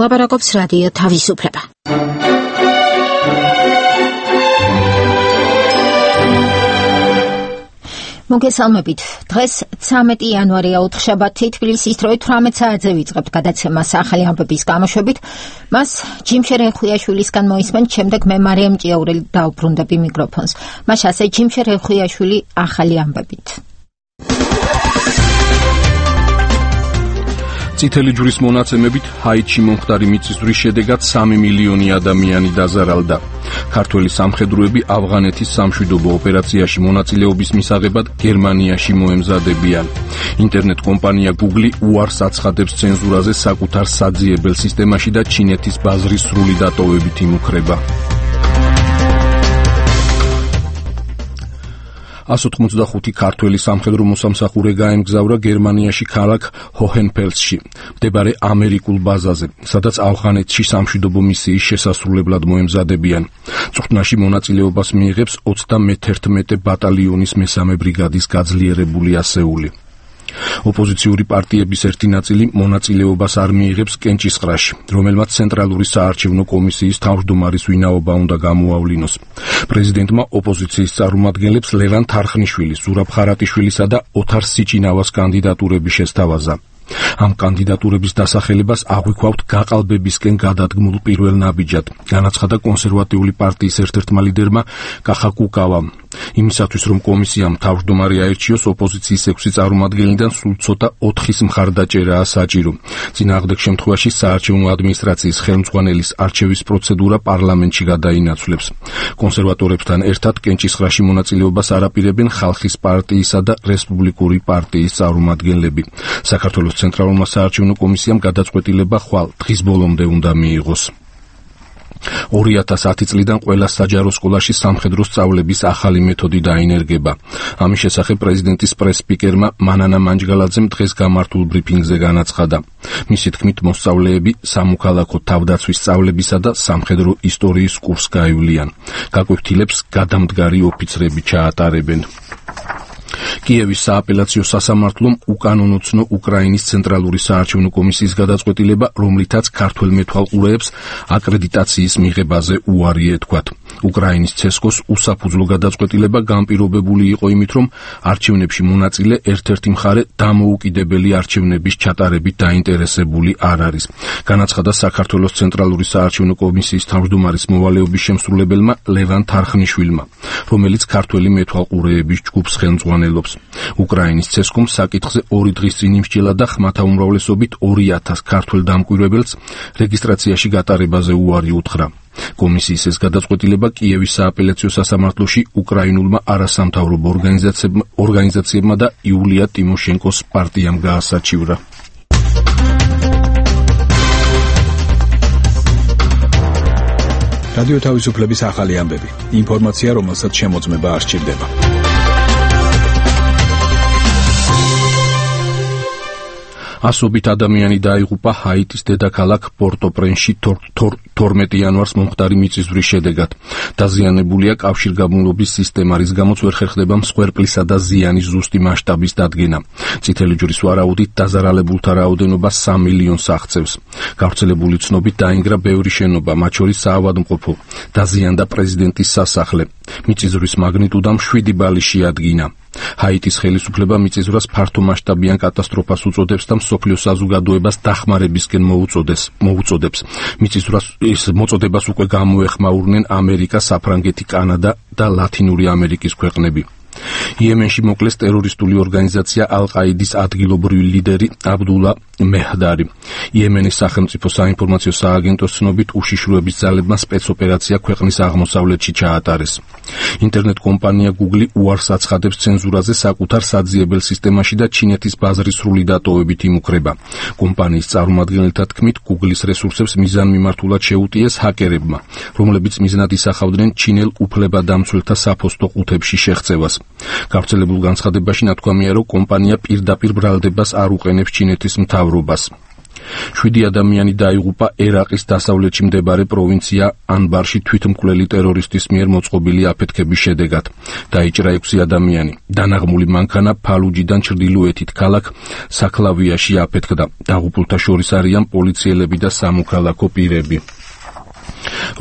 ლაპარაკობს რადიო თავისუფლება. მოგესალმებით. დღეს 13 იანვარია უთხშაბათი, თბილისის დროით 18 საათზე ვიწყებთ გადაცემას ახალი ამბების გამოშვებით. მას ჯიმშერ ხვიაშვილისგან მოისმენთ, შემდეგ მე მარიამ ჭიაურელი დავბრუნდები მიკროფონს. მას ასე ჯიმშერ ხვიაშვილი ახალი ამბებით. წითელი ჯვრის მონაცემებით ჰაიტში მომხდარი მიწისძვრის შედეგად 3 მილიონი ადამიანი დაზარალდა. ქართველი სამხედროები ავღანეთის სამშვიდობო ოპერაციაში მონაწილეობის მისაღებად გერმანიაში მოემზადებიან. ინტერნეტ კომპანია Google უარს აცხადებს ცენზურაზე საკუთარ საძიებელ სისტემაში და ჩინეთის ბაზრის სრული დატოვებით იმუქრება. 185 ქართველი სამხედრო მოსამსახურე გაემგზავრა გერმანიაში ქალაქ ჰოჰენფელსში, მდებარე ამერიკულ ბაზაზე, სადაც ავღანეთში სამშვიდობო მისიის შესასრულებლად მოემზადებიან. წვრთნაში მონაწილეობას მიიღებს 31 ბატალიონის მესამე ბრიგადის გაძლიერებული ასეული. ოპოზიციური პარტიების ერთი ნაწილი მონაწილეობას არ მიიღებს კენჭისყრაში, რომელმაც ცენტრალური საარჩევნო კომისიის თავმჯდომარის ვინაობა უნდა გამოავლინოს. პრეზიდენტმა ოპოზიციის წარმომადგენლებს ლევან თარხნიშვილის, ზურაბ ხარატიშვილისა და ოთარ სიჭინავას კანდიდატურები შესთავაზა. ამ კანდიდატურების დასახელებას აღვიქვავთ გაყალბებისკენ გადადგმულ პირველ ნაბიჯად, განაცხადა კონსერვატიული პარტიის ერთ-ერთმა ლიდერმა კახა კუკავამ. იმისათვის, რომ კომისიამ თავმჯდომარე აერჩიოს, ოპოზიციის 6 წარმომადგენლიდან სულ ცოტა 4-ის მხარდაჭერაა საჭირო. წინააღმდეგ შემთხვევაში საარჩევნო ადმინისტრაციის ხელმძღვანელის არჩევის პროცედურა პარლამენტში გადაინაცვლებს. კონსერვატორებთან ერთად კენჭისყრაში მონაწილეობას არ აპირებენ ხალხის პარტიისა და რესპუბლიკური პარტიის წარმომადგენლები. საქართველოს ცენტრალურმა საარჩევნო კომისიამ გადაწყვეტილება ხვალ დღის ბოლომდე უნდა მიიღოს. 2010 წლიდან ყველა საჯარო სკოლაში სამხედრო სწავლების ახალი მეთოდი დაინერგება. ამის შესახებ პრეზიდენტის პრეს-სპიკერმა მანანა მანჯგალაძემ დღეს გამართულ ბრიფინგზე განაცხადა. მისი თქმით, მოსწავლეები სამოქალაქო თავდაცვის სწავლებისა და სამხედრო ისტორიის კურსს გაივლიან. გაკვეთილებს გადამდგარი ოფიცრები ჩაატარებენ. კიევის სააპელაციო სასამართლომ უკანონო უკრაინის ცენტრალური საარჩევნო კომისიის გადაწყვეტილება, რომლითაც ქართველ მეთვალყურეებს აკრედიტაციის მიღებაზე უარი ეთქვათ. უკრაინის ცესკოს უსაფუძვლო გადაწყვეტილება განპირობებული იყო იმით, რომ არჩევნებში მონაწილე ერთ-ერთი მხარე დამოუკიდებელი არჩევნების ჩატარებით დაინტერესებული არ არის. განაცხადა საქართველოს ცენტრალური საარჩევნო კომისიის თავმჯდომარის მოვალეობის შემსრულებელმა ლევან თარხნიშვილმა, რომელიც ქართველი მეთვალყურეების ჯგუფს ხელმძღვანელობს. უკრაინის ცესკომ საკითხზე 2 დღის წინ იმსჯელა და ხმათა უმრავლესობით 2000 ქართველ დამკვირვებელს რეგისტრაციაში გატარებაზე უარი უთხრა. კომისიის ეს გადაწყვეტილება კიევის სააპელაციო სასამართლოში უკრაინულმა არასამთავრობო ორგანიზაციებმა და იულია ტიმოშენკოს პარტიამ გაასაჩივრა. რადიო თავისუფლების ახალი ამბები. ინფორმაცია, რომელსაც შემოწმება არ სჭირდება. ასობით ადამიანი დაიღუპა ჰაიტის დედაქალაქ პორტო-პრენსში 12 იანვარს მომხდარი მიწისძვრის შედეგად. დაზიანებულია კავშირგაბმულობის სისტემა, რის გამოც ვერ ხერხდება მსხვერპლისა და ზიანის ზუსტი მასშტაბის დადგენა. წითელი ჯვრის ვარაუდით დაზარალებულთა რაოდენობა 3 მილიონს აღწევს. გავრცელებული ცნობით დაინგრა ბევრი შენობა, მათ შორის საავადმყოფო, დაზიანდა პრეზიდენტის სასახლე. მიწისძვრის მაგნიტუდამ 7 ბალი შეადგინა. ჰაიტის ხელისუფლება მიწისძვრას ფართომასშტაბიან კატასტროფას უწოდებს და მსოფლიო საზოგადოებას დახმარებისკენ მოუწოდებს. მიწისძვრას ეს მოწოდებას უკვე გამოეხმაურნენ ამერიკა, საფრანგეთი, კანადა და ლათინური ამერიკის ქვეყნები. იემენში მოკლეს ტერორისტული ორგანიზაცია ალ-ყაიდის ადგილობრივი ლიდერი აბდულა მეჰდარი. იემენის სახელმწიფო საინფორმაციო სააგენტოს ცნობით უშიშროების ძალებმა სპეცოპერაცია ქვეყნის აღმოსავლეთში ჩაატარეს. ინტერნეტ კომპანია Google უარს აცხადებს ცენზურაზე საკუთარ საძიებელ სისტემაში და ჩინეთის ბაზრის სრული დატოვებით იმუქრება. კომპანიის წარმომადგენელთა თქმით, Google-ის რესურსებს მიზანმიმართულად შეუტიეს ჰაკერებმა, რომლებიც მიზნად ისახავდნენ ჩინელ უფლებადამცველთა საფოსტო ყუთებში შეღწევას. გავრცელებულ განცხადებაში ნათქვამია, რომ კომპანია პირდაპირ ბრალდებას არ უყენებს ჩინეთის მთავრობას. 7 ადამიანი დაიღუპა ერაყის დასავლეთში მდებარე პროვინცია ანბარში თვითმკვლელი ტერორისტის მიერ მოწყობილი აფეთქების შედეგად. დაიჭრა 6 ადამიანი. დანაღმული მანქანა ფალუჯიდან ჩრდილოეთით ქალაქ საკლავიაში აფეთქდა. დაღუპულთა შორის არიან პოლიციელები და სამოქალაქო პირები.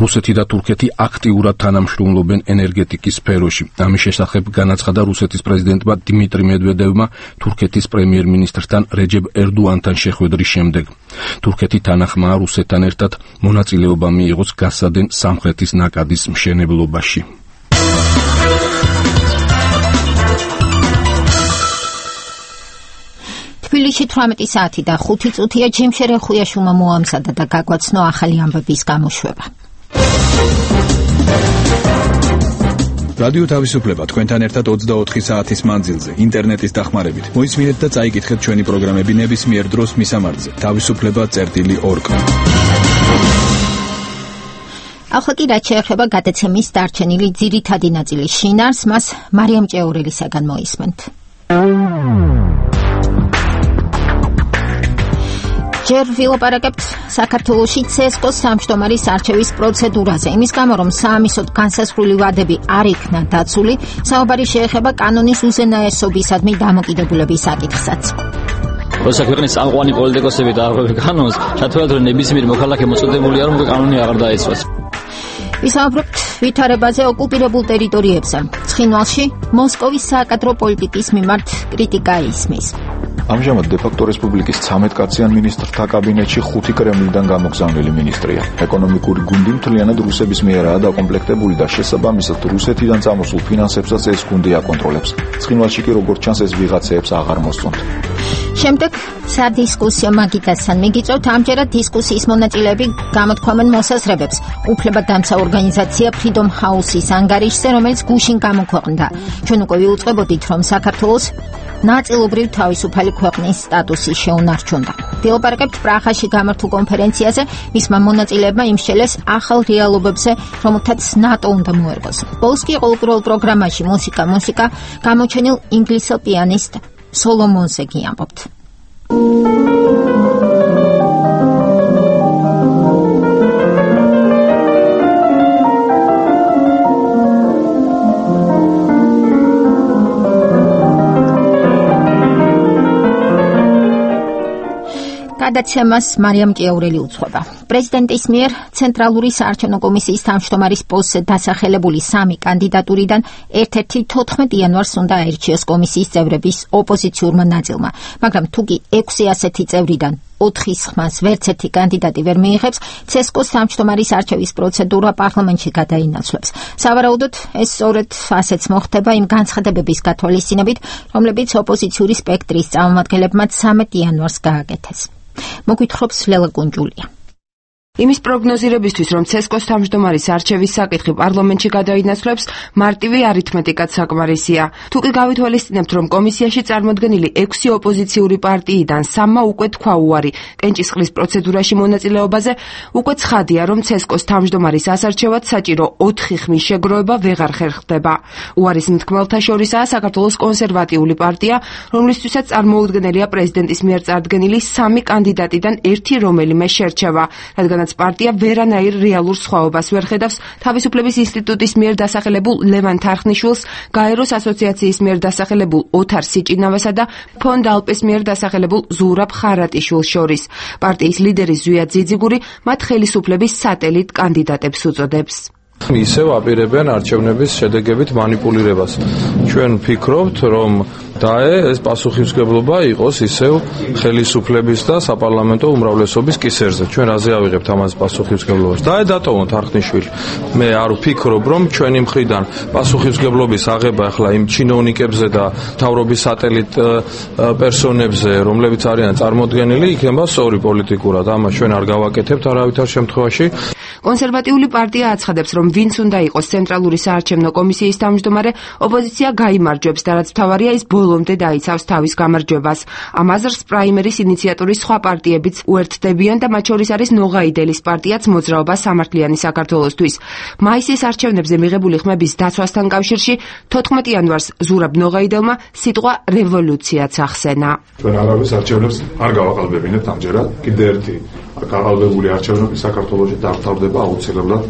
რუსეთი და თურქეთი აქტიურად თანამშრომლობენ ენერგეტიკის სფეროში. ამის შესახებ განაცხადა რუსეთის პრეზიდენტმა დიმიტრი მედვედევმა თურქეთის პრემიერ-მინისტრთან რეჯებ ერდოანთან შეხვედრის შემდეგ. თურქეთი თანახმაა რუსეთთან ერთად მონაწილეობა მიიღოს გასადენ სამხრეთის ნაკადის მშენებლობაში. თბილისში 18 საათი და 5 წუთია ჯიმშერ ხვიაშვილმა მოამზადა და გაგვაცნო ახალი ამბების გამოშვება. რადიო თავისუფლება თქვენთან ერთად 24 საათის მანძილზე ინტერნეტის დახმარებით. მოისმინეთ და წაიკითხეთ ჩვენი პროგრამები ნებისმიერ დროს მისამართზე თავისუფლება.org. ახლა კი რაც შეეხება გადაცემის დარჩენილი ძირითადი ნაწილის შინაარს, მას მარიამ ჭეორელისაგან მოისმენთ. ჯერ ვილაპარაკებთ საქართველოში CSKO-ს სამშტომარის არჩევის პროცედურაზე. იმის გამო, რომ საამისოდ განსაზღვრული ვადები არ იქნა დაცული, საუბარი შეეხება კანონის უზენაესობისადმი დამოკიდებულების საკითხსაც. როცა ქვეყნის წამყვანი პოლიტიკოსები დაარღვევენ კანონს, ჩათვალეთ, რომ ნებისმიერი მოქალაქე მოწოდებულია, რომ კანონი აღარ დაეცვას. ვისაუბრებთ ვითარებაზე ოკუპირებულ ტერიტორიებზე. ცხინვალში მოსკოვის საკადრო პოლიტიკის მიმართ კრიტიკა ისმის. ამჟამად დე-ფაქტო რესპუბლიკის 13 კაციან მინისტრთა კაბინეტში 5 კრემლიდან გამოგზავნილი მინისტრია. ეკონომიკური გუნდი მთლიანად რუსების მიერაა დაკომპლექტებული და შესაბამისად რუსეთიდან წამოსულ ფინანსებსაც ეს გუნდი აკონტროლებს. ცხინვალში კი როგორც ჩანს ეს ვიღაცეებს აღარ მოსწონთ. შემდეგ სადისკუსიო მაგიდასთან მიგიწევთ, ამჯერად დისკუსიის მონაწილეები გამოთქვამენ მოსაზრებებს უფლებადამცა ორგანიზაცია Freedom House-ის ანგარიშზე, რომელიც გუშინ გამოქვეყნდა. ჩვენ უკვე ვიუწყებოდით, რომ საქართველოს ნაწილობრივ თავისუფალი ქვეყნის სტატუსი შეუნარჩუნდა. ვილაპარაკებთ პრაღაში გამართულ კონფერენციაზე, მისმა მონაწილეებმა იმსჯელეს ახალ რეალობებზე, რომელთაც ნატო უნდა მოერგოს. ბოლოს კი ყოველდღიურ პროგრამაში მუსიკა გამოჩენილ ინგლისელ პიანისტ სოლომონზე გიამბობთ. გადაცემას მარიამ ჭეორელი უძღვება. პრეზიდენტის მიერ ცენტრალური საარჩევნო კომისიის თავმჯდომარის პოსტზე დასახელებული 3 კანდიდატურიდან ერთ-ერთი 14 იანვარს უნდა აირჩიოს კომისიის წევრების ოპოზიციურმა ნაწილმა, მაგრამ თუ კი 6 ასეთი წევრიდან 4-ის ხმას ვერც ერთი კანდიდატი ვერ მიიღებს, CSKO-ს თავმჯდომარის არჩევის პროცედურა პარლამენტში გადაინაცვლებს. სავარაუდოდ ეს სწორედ ასეც მოხდება იმ განცხადებების გათვალისწინებით, რომლებიც ოპოზიციური სპექტრის წარმომადგენლებმა 13 იანვარს გააკეთეს. მოგვითხრობს ლელა კუნჯულია. იმის პროგნოზირებისთვის, რომ CSKO-ს თავმჯდომარის არჩევის საკითხი პარლამენტში გადაინაცვლებს, მარტივი არითმეტიკაც საკმარისია. თუ კი გავითვალისწინებთ, რომ კომისიაში წარმოდგენილი 6 ოპოზიციური პარტიიდან 3-მა უკვე თქვა უარი კენჭისყრის პროცედურაში მონაწილეობაზე, უკვე ცხადია, რომ CSKO-ს თავმჯდომარის ასარჩევად საჭირო 4 ხმის შეგროვება ვეღარ ხერხდება. უარის მთქმელთა შორისაა საქართველოს კონსერვატიული პარტია, რომლისთვისაც წარმოუდგენელია პრეზიდენტის მიერ წარდგენილი 3 კანდიდატიდან ერთი რომელიმე შერჩევა, რადგან პარტია ვერანაირ რეალურ სხვაობას ვერ ხედავს თავისუფლების ინსტიტუტის მიერ დასახელებულ ლევან თარხნიშვილს, გაეროს ასოციაციის მიერ დასახელებულ ოთარ სიჭინავესა და ფონდ ალპეს მიერ დასახელებულ ზურაბ ხარატიშვილს შორის. პარტიის ლიდერი ზვია ძიძიგური მათ ხელისუფლების სატელიტ კანდიდატებს უწოდებს. ისევ აპირებენ არჩევნების შედეგებით манипуლირებას. ჩვენ ვფიქრობთ, რომ ეს პასუხისმგებლობა იყოს ისევ ხელისუფლების და საპარლამენტო უმრავლესობის კისერზე. ჩვენ რაზე ავიღებთ ამას პასუხისმგებლობას? დატოვოთ არხნიშვილი. მე არ ვფიქრობ, რომ ჩვენი მხრიდან პასუხისმგებლობის აღება ახლა იმ ჩინოვნიკებზე და მთავრობის სატელიტ პერსონებზე, რომლებიც არიან წარმოდგენილი, იქნება სწორი პოლიტიკურად. ამას ჩვენ არ გავაკეთებთ არავითარ შემთხვევაში. კონსერვატიული პარტია აცხადებს, რომ ვინც უნდა იყოს ცენტრალური საარჩევნო კომისიის თავმჯდომარე, ოპოზიცია გაიმარჯვებს და რაც მთავარია, ის ბოლომდე დაიცავს თავის გამარჯვებას. ამ აზრს პრაიმერის ინიციატორის სხვა პარტიებიც უერთდებიან და მათ შორის არის ნოღაიდელის პარტიაც მოძრაობა სამართლიანი საქართველოსთვის. მაისის არჩევნებზე მიღებული ხმების დაცვასთან კავშირში 14 იანვარს ზურაბ ნოღაიდელმა სიტყვა რევოლუციაც ახსენა. ჩვენ არავის არჩევნებს არ გავაყალბებინებთ ამჯერად. კიდე ერთი გაყალბებული არჩევნები საქართველოში დამთავრდება აუცილებლად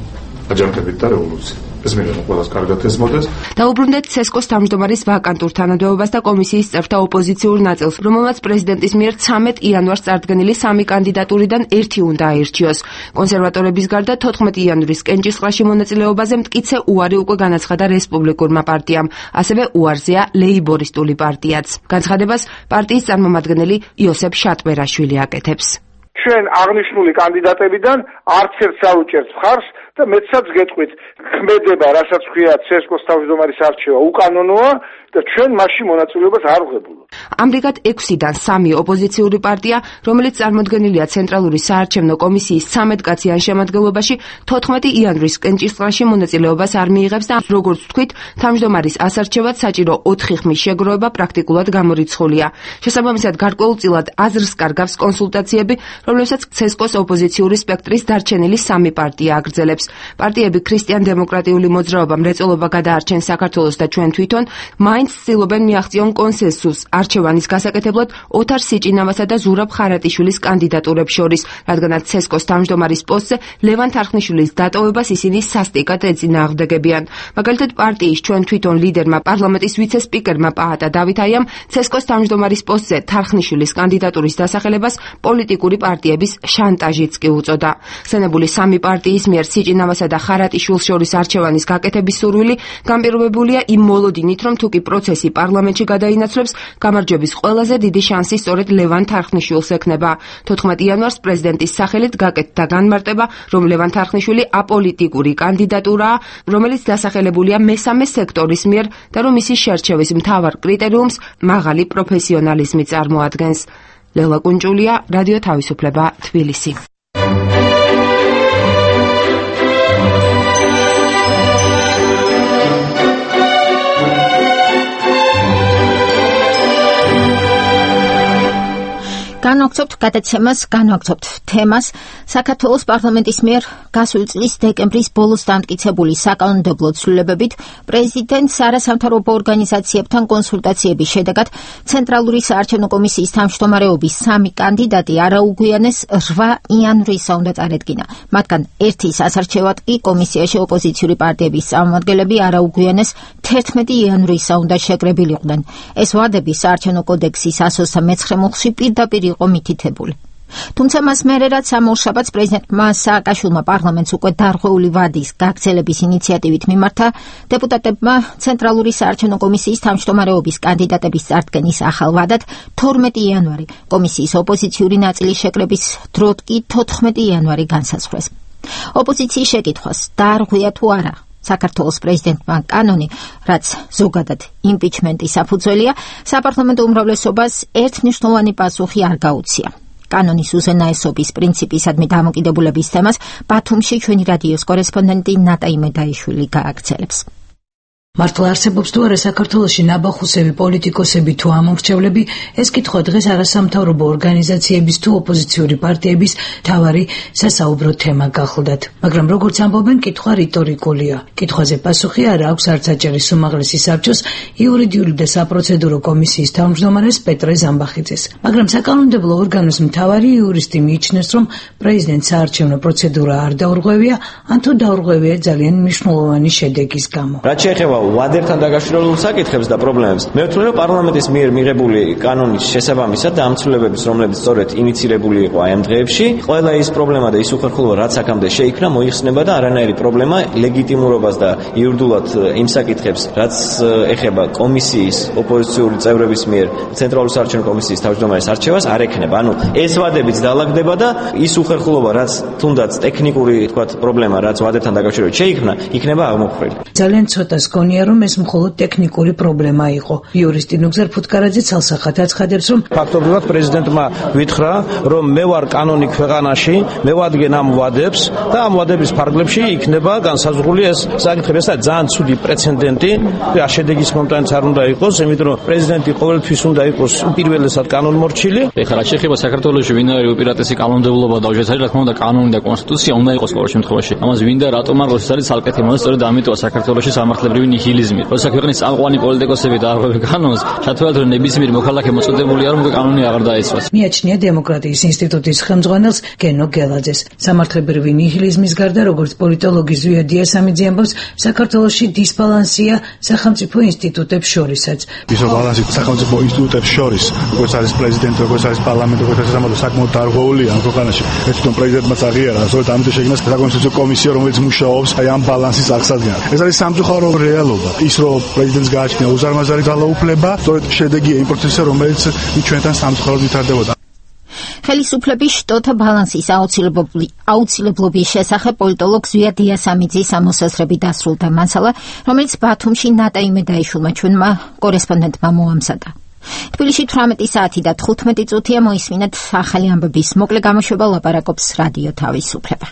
აჯანყებით და რევოლუციით. ეს მინდა ყველას კარგად ესმოდეს. დაუბრუნდეთ ცესკოს თავმჯდომარის ვაკანტურ თანამდებობას და კომისიის წევრთა ოპოზიციურ ნაწილს, რომელმაც პრეზიდენტის მიერ 13 იანვარს წარდგენილი 3 კანდიდატურიდან ერთი უნდა აირჩიოს. კონსერვატორების გარდა 14 იანვრის კენჭისყრაში მონაწილეობაზე მტკიცე უარი უკვე განაცხადა რესპუბლიკურმა პარტიამ, ასევე უარზეა ლეიბორისტული პარტიაც. განცხადებას პარტიის წარმომადგენელი იოსებ შატბერაშვილი აკეთებს. ჩვენ აღნიშნული კანდიდატებიდან არც ერთს არ უჭერს მხარს და მეცაც გეტყვით, ხმედება, რასაც ქვია ცესკოს თავმჯდომარის არჩევა უკანონოა და ჩვენ მასში მონაწილეობას არ ვღებულობ. ამრიგად 6-დან 3 ოპოზიციური პარტია, რომელიც წარმოდგენილია ცენტრალური საარჩევნო კომისიის 13 კაციან შემადგენლობაში, 14 იანვრის კენჭისყრაში მონაწილეობას არ მიიღებს და როგორც ვთქვით, თავმჯდომარის ასარჩევად საჭირო 4 ხმის შეგროვება პრაქტიკულად გამორიცხულია. შესაბამისად, გარკვეულწილად აზრს კარგავს კონსულტაციები, რომლებსაც ცესკოს ოპოზიციური სპექტრის დარჩენილი 3 პარტია აგრძელებს. პარტიები ქრისტიან-დემოკრატიული მოძრაობა მრეწველობა გადაარჩენს საქართველოს და ჩვენ თვითონ მაინც ცდილობენ მიაღწიონ კონსენსუსს არჩევანის გასაკეთებლად ოთარ სიჭინავასა და ზურაბ ხარატიშვილის კანდიდატურებს შორის, რადგანაც ცესკოს თავმჯდომარის პოსტზე ლევან თარხნიშვილის დატოვებას ისინი სასტიკად ეწინააღმდეგებიან. მაგალითად, პარტიის ჩვენ თვითონ ლიდერმა პარლამენტის ვიცე-სპიკერმა პაატა დავითაიამ ცესკოს თავმჯდომარის პოსტზე თარხნიშვილის კანდიდატურის დასახელებას პოლიტიკური პარტიების შანტაჟიც კი უწოდა. ხსენებული 3 პარტიის მიერ სიჭინავასა და ხარატიშვილს შორის არჩევანის გაკეთების სურვილი განპირობებულია იმ მოლოდინით, რომ თუკი პროცესი პარლამენტში გადაინაცვლებს, გამარჯვების ყველაზე დიდი შანსი სწორედ ლევან თარხნიშვილს ექნება. 14 იანვარს პრეზიდენტის სახელით გაკეთდა განმარტება, რომ ლევან თარხნიშვილი აპოლიტიკური კანდიდატურაა, რომელიც დასახელებულია მესამე სექტორის მიერ და რომ მისი შერჩევის მთავარ კრიტერიუმს მაღალი პროფესიონალიზმი წარმოადგენს. ლელა კუნჭულია, რადიო თავისუფლება, თბილისი. განვაგრძობთ გადაცემას, განვაგრძობთ თემას. საქართველოს პარლამენტის მიერ გასული წლის დეკემბრის ბოლოს დამტკიცებული საკანონმდებლო ცვლილებებით პრეზიდენტს არასამთავრობო ორგანიზაციებთან კონსულტაციების შედეგად ცენტრალური საარჩევნო კომისიის თავმჯდომარეობის 3 კანდიდატი არაუგვიანეს 8 იანვრისა უნდა წარედგინა. მათგან ერთი სასარჩევად კი კომისიაში ოპოზიციური პარტიების წარმომადგენლები არაუგვიანეს 11 იანვრისა უნდა შეკრებილიყვნენ. ეს ვადები საარჩევნო კოდექსის 129 მუხლში პირდაპირ იყო მითითებული. თუმცა მას მერე რაც სამშაბათს პრეზიდენტმა სააკაშვილმა პარლამენტს უკვე დარღვეული ვადის გაგრძელების ინიციატივით მიმართა, დეპუტატებმა ცენტრალური საარჩევნო კომისიის თავმჯდომარეობის კანდიდატების წარდგენის ახალ ვადად 12 იანვარი, კომისიის ოპოზიციური ნაწილის შეკრების დროდ კი 14 იანვარი განსაზღვრეს. ოპოზიციის შეკითხვას დაარღვია თუ არა საქართველოს პრეზიდენტმა კანონი, რაც ზოგადად იმპიჩმენტის საფუძველია, საპარლამენტო უმრავლესობას ერთმნიშვნელოვანი პასუხი არ გაუწია. კანონის უზენაესობის პრინციპისადმი დამოკიდებულების თემას ბათუმში ჩვენი რადიოს კორესპონდენტი ნატა იმედაიშვილი გააგრძელებს. მართლა არსებობს თუ არა საქართველოში ნაბახუსები პოლიტიკოსები თუ ამომრჩევლები, ეს კითხვა დღეს არასამთავრობო ორგანიზაციების თუ ოპოზიციური პარტიების მთავარი სასაუბრო თემა გახლდათ. მაგრამ როგორც ამბობენ, კითხვა რიტორიკულია. კითხვაზე პასუხი არ აქვს არც აჭარის უმაღლესი საბჭოს იურიდიული და საპროცედურო კომისიის თავმჯდომარეს პეტრე ზამბახიძეს. მაგრამ საკანონმდებლო ორგანოს მთავარი იურისტი მიიჩნევს, რომ პრეზიდენტს საარჩევნო პროცედურა არ დაურღვევია, ან თუ დაურღვევია ძალიან მნიშვნელოვანი შედეგის გამო. რაც შეეხება ვადერთან დაკავშირებულ საკითხებს და პრობლემებს, მე ვთვლი, რომ პარლამენტის მიერ მიღებული კანონის შესაბამისად და ამ ცვლილებების, რომლებიც სწორედ ინიცირებული იყო აი ამ დღეებში, ყველა ის პრობლემა და ის უხერხულობა, რაც აქამდე შეიქმნა, მოიხსნება და არანაირი პრობლემა ლეგიტიმურობას და იურიდულად იმ საკითხებს, რაც ეხება კომისიის ოპოზიციური წევრების მიერ ცენტრალური საარჩევნო კომისიის თავმჯდომარის არჩევას არ ექნება. ანუ ეს ვადებიც დაალაგდება და ის უხერხულობა, რაც თუნდაც ტექნიკური, თქვათ, პრობლემა, რაც ვადერთან დაკავშირებით შეიქმნა, იქნება აღმოფხვრილი. ძალიან ცოტას გონია მგონია, რომ ეს მხოლოდ ტექნიკური პრობლემა იყო. იურისტი ნუგზარ ფუტკარაძე ცალსახად აცხადებს, რომ ფაქტობრივად პრეზიდენტმა ვითხრა, რომ მე ვარ კანონი ქვეყანაში, მე ვადგენ ამ ვადებს და ამ ვადების ფარგლებში იქნება განსაზღვრული ეს საკითხები. ეს ძალიან ცუდი პრეცედენტი, შედეგის მომტანიც არ უნდა იყოს, იმიტომ რომ პრეზიდენტი ყოველთვის უნდა იყოს უპირველესად კანონმორჩილი. ეხლა რა შეიძლება საქართველოში ვინ არის უპირატესი კანონმდებლობა და უჯერეს არის რა თქმა უნდა კანონი და კონსტიტუცია უნდა იყოს ყოველ შემთხვევაში. ამას ვინ და რატომ არ არის ცალკეთი მომენტი, სწორედ ამიტომა საქართველოში სამართლებრივი ნიჰილიზმი. როცა ქვეყნის წამყვანი პოლიტიკოსები და არღვევენ კანონს, ჩათვალეთ რომ ნებისმიერი მოქალაქე მოწოდებულია რომ კანონი აღარ დაეცვას. მიაჩნია დემოკრატიის ინსტიტუტის ხელმძღვანელს გენო გელაძეს. სამართლებრივი ნიჰილიზმის გარდა, როგორც პოლიტოლოგი ზვია დიასამიძე ამბობს, საქართველოში დისბალანსია სახელმწიფო ინსტიტუტებს შორისაც. ის ბალანსი სახელმწიფო ინსტიტუტებს შორის, როგორც არის პრეზიდენტი, როგორც არის პარლამენტი, როგორც არის სამართლო საკმაოდ დარღვეულია ამ ქვეყანაში. ეს თვითონ პრეზიდენტმა აღიარა, სწორედ ამიტომ შეიქმნა საკონსტიტუციო კომისია, რომელიც მუშაობს ამ ბალანსის აღსადგენად. ეს არის სამწუხარო რეალობა. ის რომ პრეზიდენტს გააჩნია უზარმაზარი ძალაუფლება, სწორედ შედეგია იმ პროცესისა, რომელიც ჩვენთან სამწუხაროდ ვითარდებოდა. ხელისუფლების შტოთა ბალანსის აუცილებლობის შესახებ პოლიტოლოგ ზვია დიასამიძის ამოსაზრები დასრულდა მასალა, რომელიც ბათუმში ნატა იმედაიშვილმა ჩვენმა კორესპონდენტმა მოამზადა. თბილისში 18 საათი და 15 წუთია მოისმინეთ ახალი ამბების მოკლე გამოშვება, ლაპარაკობს რადიო თავისუფლება.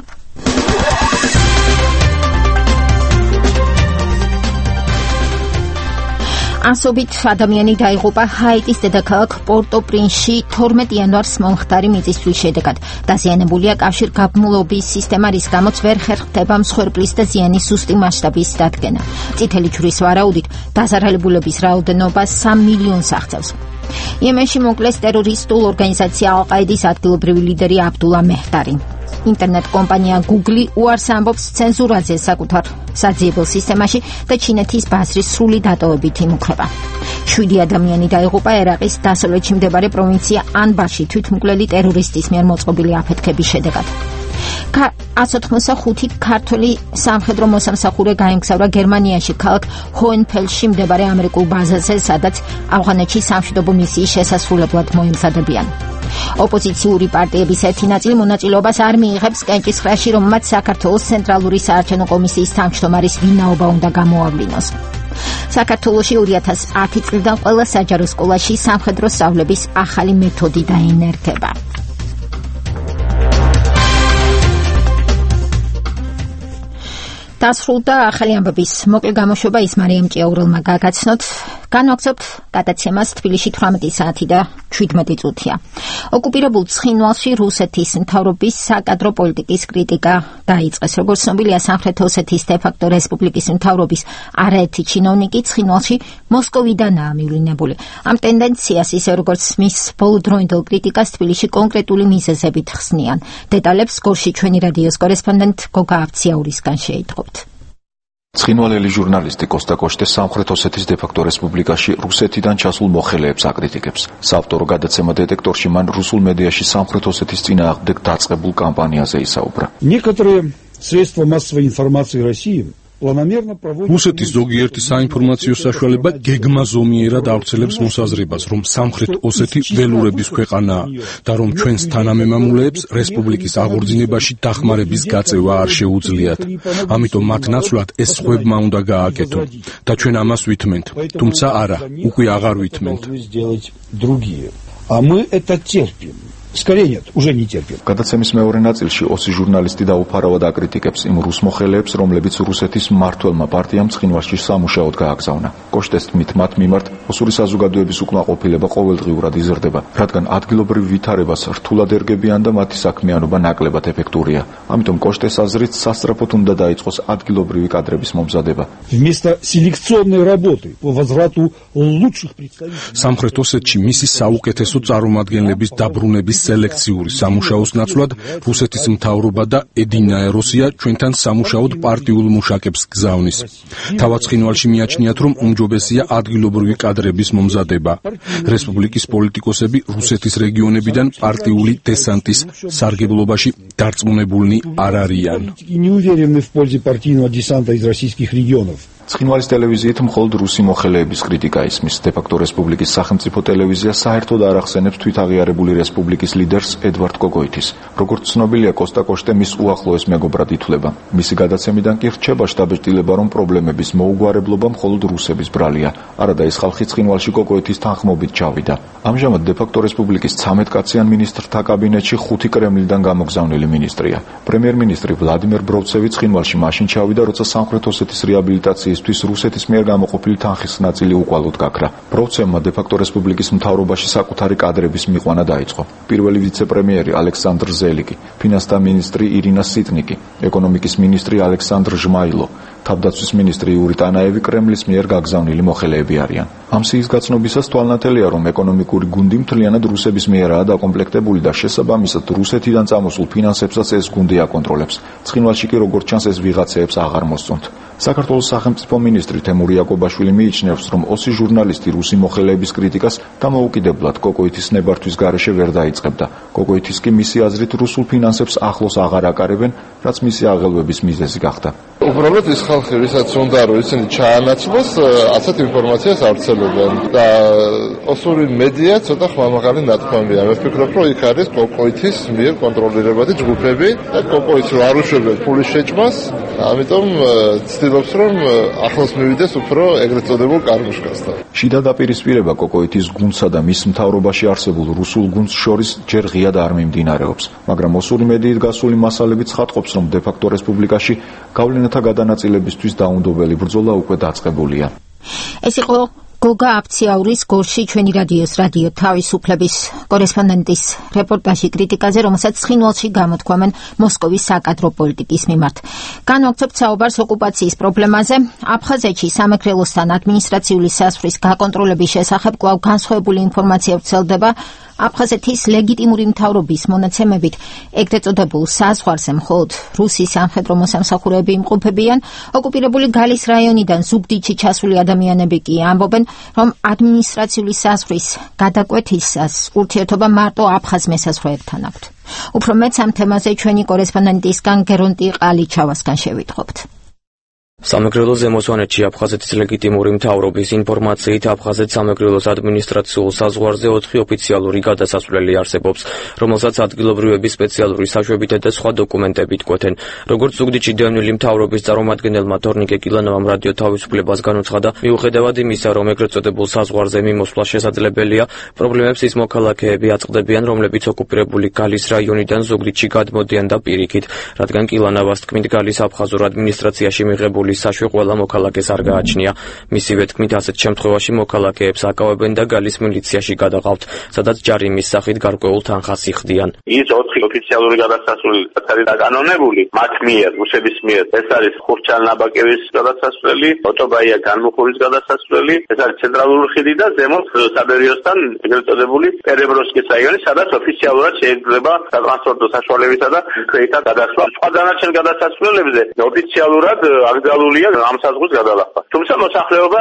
ასობით ადამიანი დაიღუპა ჰაიტის დედაქალაქ პორტო-პრინსში 12 იანვარს მომხდარი მიწისძვრის შედეგად. დაზიანებულია კავშირგაბმულობის სისტემა, რის გამოც ვერ ხერხდება მსხვერპლის და ზიანის ზუსტი მასშტაბის დადგენა. წითელი ჯვრის ვარაუდით დაზარალებულების რაოდენობა 3 მილიონს აღწევს. იემენში მოკლეს ტერორისტულ ორგანიზაცია ალ-ყაიდის ადგილობრივი ლიდერი აბდულა მეჰდარი. ინტერნეტ კომპანია Google უარს ამბობს ცენზურაზე საკუთარ საძიებელ სისტემაში და ჩინეთის ბაზრის სრული დატოვებით იმუქრება. 7 ადამიანი დაიღუპა ერაყის დასავლეთში მდებარე პროვინცია ანბარში თვითმკვლელი ტერორისტის მიერ მოწყობილი აფეთქების შედეგად. 185 ქართველი სამხედრო მოსამსახურე გაემგზავრა გერმანიაში ქალაქ ჰოენფელში მდებარე ამერიკულ ბაზაზე, სადაც ავღანეთში სამშვიდობო მისიის შესასრულებლად მოემზადებიან. ოპოზიციური პარტიების ერთი ნაწილი მონაწილეობას არ მიიღებს კენჭისყრაში, რომ მათ საქართველოს ცენტრალური საარჩევნო კომისიის თავმჯდომარის ვინაობა უნდა გამოავლინოს. საქართველოში 2010 წლიდან ყველა საჯარო სკოლაში სამხედრო სწავლების ახალი მეთოდი დაინერგება. დასრულდა ახალი ამბების მოკლე გამოშვება, ის მარიამ ჭიაურელმა გაგაცნოთ. განვაგრძობთ გადაცემას თბილისში 18 საათი და 17 წუთია. ოკუპირებულ ცხინვალში რუსეთის მთავრობის საკადრო პოლიტიკის კრიტიკა დაიწყეს. როგორც ცნობილია, სამხრეთ ოსეთის დე-ფაქტო რესპუბლიკის მთავრობის არაერთი ჩინოვნიკი ცხინვალში მოსკოვიდანაა მივლინებული. ამ ტენდენციას, ისე როგორც მის ბოლოდროინდელ კრიტიკას, თბილისში კონკრეტული მიზეზებით ხსნიან. დეტალებს გორში ჩვენი რადიოს კორესპონდენტ გოგა ავციაურისგან შეიტყობთ. ცხინვალელი ჟურნალისტი კოსტა კოშტე სამხრეთ ოსეთის დე-ფაქტო რესპუბლიკაში რუსეთიდან ჩასულ მოხელეებს აკრიტიკებს. საავტორო გადაცემა დეტექტორში მან რუსულ მედიაში სამხრეთ ოსეთის წინააღმდეგ დაწყებულ კამპანიაზე ისაუბრა. Некоторые средства массовой информации России რუსეთის ზოგიერთი საინფორმაციო საშუალება გეგმაზომიერად ავრცელებს მოსაზრებას, რომ სამხრეთ ოსეთი ველურების ქვეყანაა და რომ ჩვენს თანამემამულეებს რესპუბლიკის აღორძინებაში დახმარების გაწევა არ შეუძლიათ. ამიტომ მათ ნაცვლად ეს სხვებმა უნდა გააკეთონ და ჩვენ ამას ვითმენთ. თუმცა არა, უკვე აღარ ვითმენთ. А мы это терпим. Скорее нет, уже не терпим. გადაცემის მეორე ნაწილში ოსი ჟურნალისტი დაუფარავად აკრიტიკებს იმ რუს მოხელეებს, რომლებიც რუსეთის მმართველმა პარტიამ ცხინვალში სამუშაოდ გააგზავნა. კოშტეს თქმით, მათ მიმართ ოსური საზოგადოების უკმაყოფილება ყოველდღიურად იზრდება, რადგან ადგილობრივ ვითარებას რთულად ერგებიან და მათი საქმიანობა ნაკლებად ეფექტურია. ამიტომ კოშტეს აზრით სასწრაფოდ უნდა დაიწყოს ადგილობრივი კადრების მომზადება. Вместо селекционной работы по возврату лучших представителей სამხრეთ ოსეთში მისი საუკეთესო წარმომადგენლების დაბრუნების სელექციური სამუშაოს ნაცვლად რუსეთის მთავრობა და ედინაე რუსია ჩვენთან სამუშაოდ პარტიულ მუშაკებს გზავნის. თავად ცხინვალში მიაჩნიათ, რომ უმჯობესია ადგილობრივი კადრების მომზადება. რესპუბლიკის პოლიტიკოსები რუსეთის რეგიონებიდან პარტიული დესანტის სარგებლობაში დარწმუნებულნი არ არიან. Не уверены в пользе партийного десанта из российских регионов. ცხინვალის ტელევიზიით მხოლოდ რუსი მოხელეების კრიტიკა ისმის. დე-ფაქტო რესპუბლიკის სახელმწიფო ტელევიზია საერთოდ არ ახსენებს თვითაღიარებული რესპუბლიკის ლიდერს ედვარდ კოკოიტის. როგორც ცნობილია, კოსტა კოშტე მის უახლოეს მეგობრად ითვლება. მისი გადაცემიდან კი რჩება შთაბეჭდილება, რომ პრობლემების მოუგვარებლობა მხოლოდ რუსების ბრალია. არადა ის ხალხი ცხინვალში კოკოიტის თანხმობით ჩავიდა. ამჟამად დე-ფაქტო რესპუბლიკის 13 კაციან მინისტრთა კაბინეტში 5 კრემლიდან გამოგზავნილი მინისტრია. პრემიერ-მინისტრი ვლადიმერ ბროვცევი ცხინვალში მაშინ ჩავიდა, როცა სამხრეთ ოსეთის რეაბილიტაციისთვის რუსეთის მიერ გამოყოფილი თანხის ნაწილი უკვალოდ გაქრა. ბროვცევმა დე-ფაქტო რესპუბლიკის მთავრობაში საკუთარი კადრების მიყვანა დაიწყო. პირველი ვიცე-პრემიერი ალექსანდრ ზელიკი, ფინანსთა მინისტრი ირინა სიტნიკი, ეკონომიკის მინისტრი ალექსანდრ ჟმაილო, თავდაცვის მინისტრი იური ტანაევი კრემლის მიერ გაგზავნილი მოხელეები არიან. ამ სიის გაცნობისას თვალნათელია, რომ ეკონომიკური გუნდი მთლიანად რუსების მიერაა დაკომპლექტებული და შესაბამისად რუსეთიდან წამოსულ ფინანსებსაც ეს გუნდი აკონტროლებს. ცხინვალში კი როგორც ჩანს ეს ვიღაცეებს აღარ მოსწონთ. საქართველოს სახელმწიფო მინისტრი თემური იაკობაშვილი მიიჩნევს, რომ ოსი ჟურნალისტი რუსი მოხელეების კრიტიკას დამოუკიდებლად კოკოიტის ნებართვის გარეშე ვერ დაიწყებდა. კოკოიტის კი მისი აზრით რუსულ ფინანსებს ახლოს აღარ აკარებენ, რაც მისი აღელვების მიზეზი გახდა. უბრალოდ ის ხალხი, ვისაც უნდა რომ ისინი ჩაანაცვლოს, ასეთ ინფორმაციას ავრცელებენ და ოსური მედია ცოტა ხმამაღალი ნათქვამია. მე ვფიქრობ, რომ იქ არის კოკოიტის მიერ კონტროლირებადი ჯგუფები და კოკოიტს არ უშვებენ ფულის შეჭმას, ამიტომ ცდილობს, რომ ახლოს მივიდეს უფრო ეგრეთ წოდებულ კარმუშკასთან. შიდა დაპირისპირება კოკოიტის გუნდსა და მის მთავრობაში არსებულ რუსულ გუნდს შორის ჯერ ღიად არ მიმდინარეობს, მაგრამ ოსური მედიით გასული მასალებიც ხატყობს, რომ დე-ფაქტო რესპუბლიკაში გავლენათა გადანაწილებისთვის დაუნდობელი ბრძოლა უკვე დაწყებულია. ეს იყო გოგა აფციაურის გორში ჩვენი რადიოს რადიო თავისუფლების კორესპონდენტის რეპორტაჟი კრიტიკაზე, რომელსაც ცხინვალში გამოთქვამენ მოსკოვის საკადრო პოლიტიკის მიმართ. განვაგრძობთ საუბარს ოკუპაციის პრობლემაზე. აფხაზეთში სამეგრელოსთან ადმინისტრაციული საზღვრის გაკონტროლების შესახებ კვლავ განსხვავებული ინფორმაცია ვრცელდება. აფხაზეთის ლეგიტიმური მთავრობის მონაცემებით ეგრეთ წოდებულ საზღვარზე მხოლოდ რუსის სამხედრო მოსამსახურეები იმყოფებიან. ოკუპირებული გალის რაიონიდან ზუგდიდში ჩასული ადამიანები კი ამბობენ, რომ ადმინისტრაციული საზღვრის გადაკვეთისას ურთიერთობა მარტო აფხაზ მესაზღვრეებთან აქვთ. უფრო მეც ამ თემაზე ჩვენი კორესპონდენტისგან გერონტი ყალიჩავასგან შევიტყობთ. სამეგრელოს ზემოსვანეთში აფხაზეთის ლეგიტიმური მთავრობის ინფორმაციით აფხაზეთ სამეგრელოს ადმინისტრაციულ საზღვარზე 4 ოფიციალური გადასასვლელი არსებობს, რომელსაც ადგილობრივები სპეციალური საშვებითა და სხვა დოკუმენტებით კვეთენ. როგორც ზუგდიდში დევნილი მთავრობის წარმომადგენელმა თორნიკე კილანოვამ რადიო თავისუფლებას განუცხადა, მიუხედავად იმისა, რომ ეგრეთ წოდებულ საზღვარზე მიმოსვლა შესაძლებელია, პრობლემებს ის მოქალაქეები აწყდებიან, რომლებიც ოკუპირებული გალის რაიონიდან ზუგდიდში გადმოდიან და პირიქით, რადგან კილანოვას თქმით, გალის აფხაზურ ადმინისტრაციაში მიღებული საშვე ყველა მოქალაქეს არ გააჩნია. მისივე თქმით, ასეთ შემთხვევაში მოქალაქეებს აკავებენ და გალის მილიციაში გადაყავთ, სადაც ჯარიმის სახით გარკვეულ თანხას იხდიან. ის 4 ოფიციალური გადასასვლელი არის დაკანონებული მათ მიერ, რუსების მიერ. ეს არის ხურჩალ-ნაბაკევის გადასასვლელი, ოტობაია განმუხურის გადასასვლელი, ეს არის ცენტრალური ხიდი და ზემოთ საბერიოსთან ეგრეთ წოდებული პერებროსკის რაიონი, სადაც ოფიციალურად შეიძლება სატრანსპორტო საშუალებისა და ქვეითად გადასვლა. სხვა დანარჩენ გადასასვლელებზე ოფიციალურად აკრძალულია ამ საზღვრის გადალახვა. თუმცა მოსახლეობა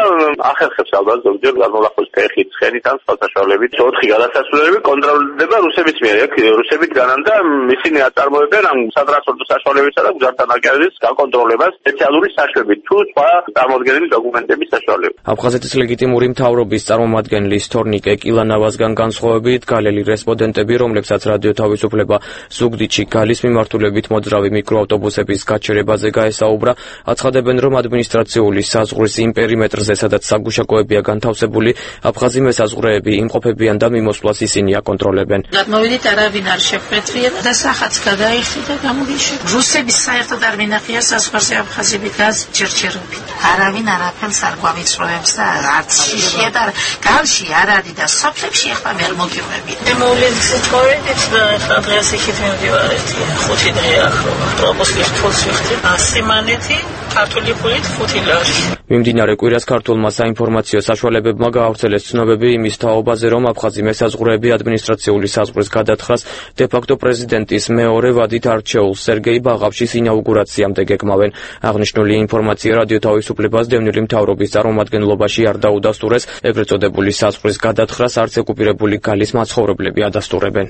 ახერხებს ალბათ ზოგჯერ გადმოლახვის ტეხით, ცხენით ან სხვა საშუალებით. 4 გადასასვლელები კონტროლდება რუსების მიერ. აქ რუსები დგანან და ისინი აწარმოებენ ამ სატრანსპორტო საშუალებისა და გზათა-ნაკადის გაკონტროლებას სპეციალური საშვებით თუ სხვა წარმოდგენილი დოკუმენტების საშუალებით. აფხაზეთის ლეგიტიმური მთავრობის წარმომადგენლის თორნიკე კილანოვასგან განსხვავებით, გალელი რესპონდენტები, რომლებსაც რადიო თავისუფლება ზუგდიდში გალის მიმართულებით მოძრავი მიკროავტობუსების გაჩერებაზე გაესაუბრა, აცხადებენ, რომ ადმინისტრაციული საზღვრის იმ პერიმეტრზე, სადაც საგუშაკოებია განთავსებული, აფხაზი მესაზღვრეები იმყოფებიან და მიმოსვლას ისინი აკონტროლებენ. გადმოვიდით, არავინ არ შეხვედრია და სახაც გადაიხდი და გამოგიშვი. რუსების საერთოდ არ მინახია საზღვარზე აფხაზები გაზჯერჯერობით. არავინ არაფერს არ გვავიწროებს და არც შიშია და განში არ არის და სოფლებში ახლა ვერ მოგიყვებით. მე მოვლენით მოვედით და ახლა დღეს იქით მივდივარეთ. 5 დღე ახლა პროპოსკის თულს ვიხდი. სიმანეთი ქართული ფულით 5 ლარი. მიმდინარე კვირას ქართულმა საინფორმაციო საშუალებებმა გაავრცელეს ცნობები იმის თაობაზე, რომ აფხაზი მესაზღვრეები ადმინისტრაციული საზღვრის გადათხას დე-ფაქტო პრეზიდენტის მეორე ვადით არჩეულ სერგეი ბაღავშის ინაუგურაციამდე გეკმავენ. აღნიშნული ინფორმაცია რადიო თავისუფლებას დევნილი მთავრობის წარმომადგენლობაში არ დაუდასტურეს, ეგრეთ წოდებული საზღვრის გადათხას არც ოკუპირებული გალის მაცხოვრებლები ადასტურებენ.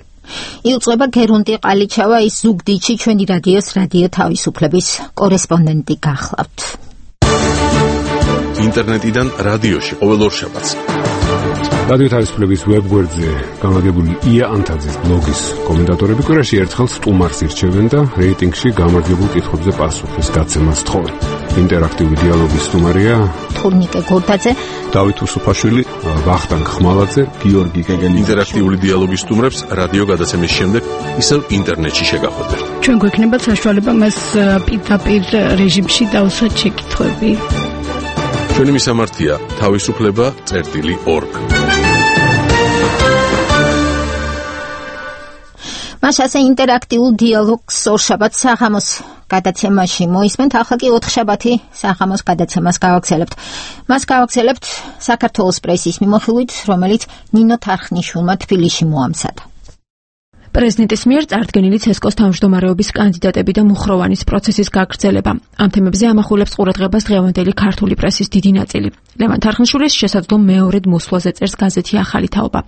იუწყება გერონტი ყალიჩავა, ის ზუგდიდში ჩვენი რადიოს რადიო თავისუფლების კორესპონდენტი გახლავთ. ინტერნეტიდან რადიოში ყოველ ორშაბათს. რადიო თავისუფლების ვებგვერდზე გამაგებული ია ანთაძის ბლოგის კომენტატორები კვირაში ერთხელ სტუმარს ირჩევენ და რეიტინგში გამარჯვებულ კითხვებზე პასუხის გაცემას თხოვენ. ინტერაქტიული დიალოგის სტუმარია თურნიკე გორდაძე, დავით უსუფაშვილი, ვახტანგ ხმალაძე, გიორგი კეგელი. ინტერაქტიული დიალოგის სტუმრებს რადიო გადაცემის შემდეგ ისევ ინტერნეტში შეგახვედრთ. ჩვენ გვექნება საშუალება მას პირდაპირ რეჟიმში დავუსვათ შეკითხვები. ჩვენი მისამართია თავისუფლება.org. მას ასე ინტერაქტიულ დიალოგს ორშაბათს საღამოს გადაცემაში მოისმენთ, ახლა კი ოთხშაბათი საღამოს გადაცემას გავაგრძელებთ. მას გავაგრძელებთ საქართველოს პრესის მიმოხილვით, რომელიც ნინო თარხნიშვილმა თბილისში მოამზადა. პრეზიდენტის მიერ წარდგენილი ცესკოს თავმჯდომარეობის კანდიდატები და მუხროვანის პროცესის გაგრძელება. ამ თემებზე ამახვილებს ყურადღებას დღევანდელი ქართული პრესის დიდი ნაწილი. ლევან თარხნიშვილის შესაძლო მეორედ მოსვლაზე წერს გაზეთი ახალი თაობა.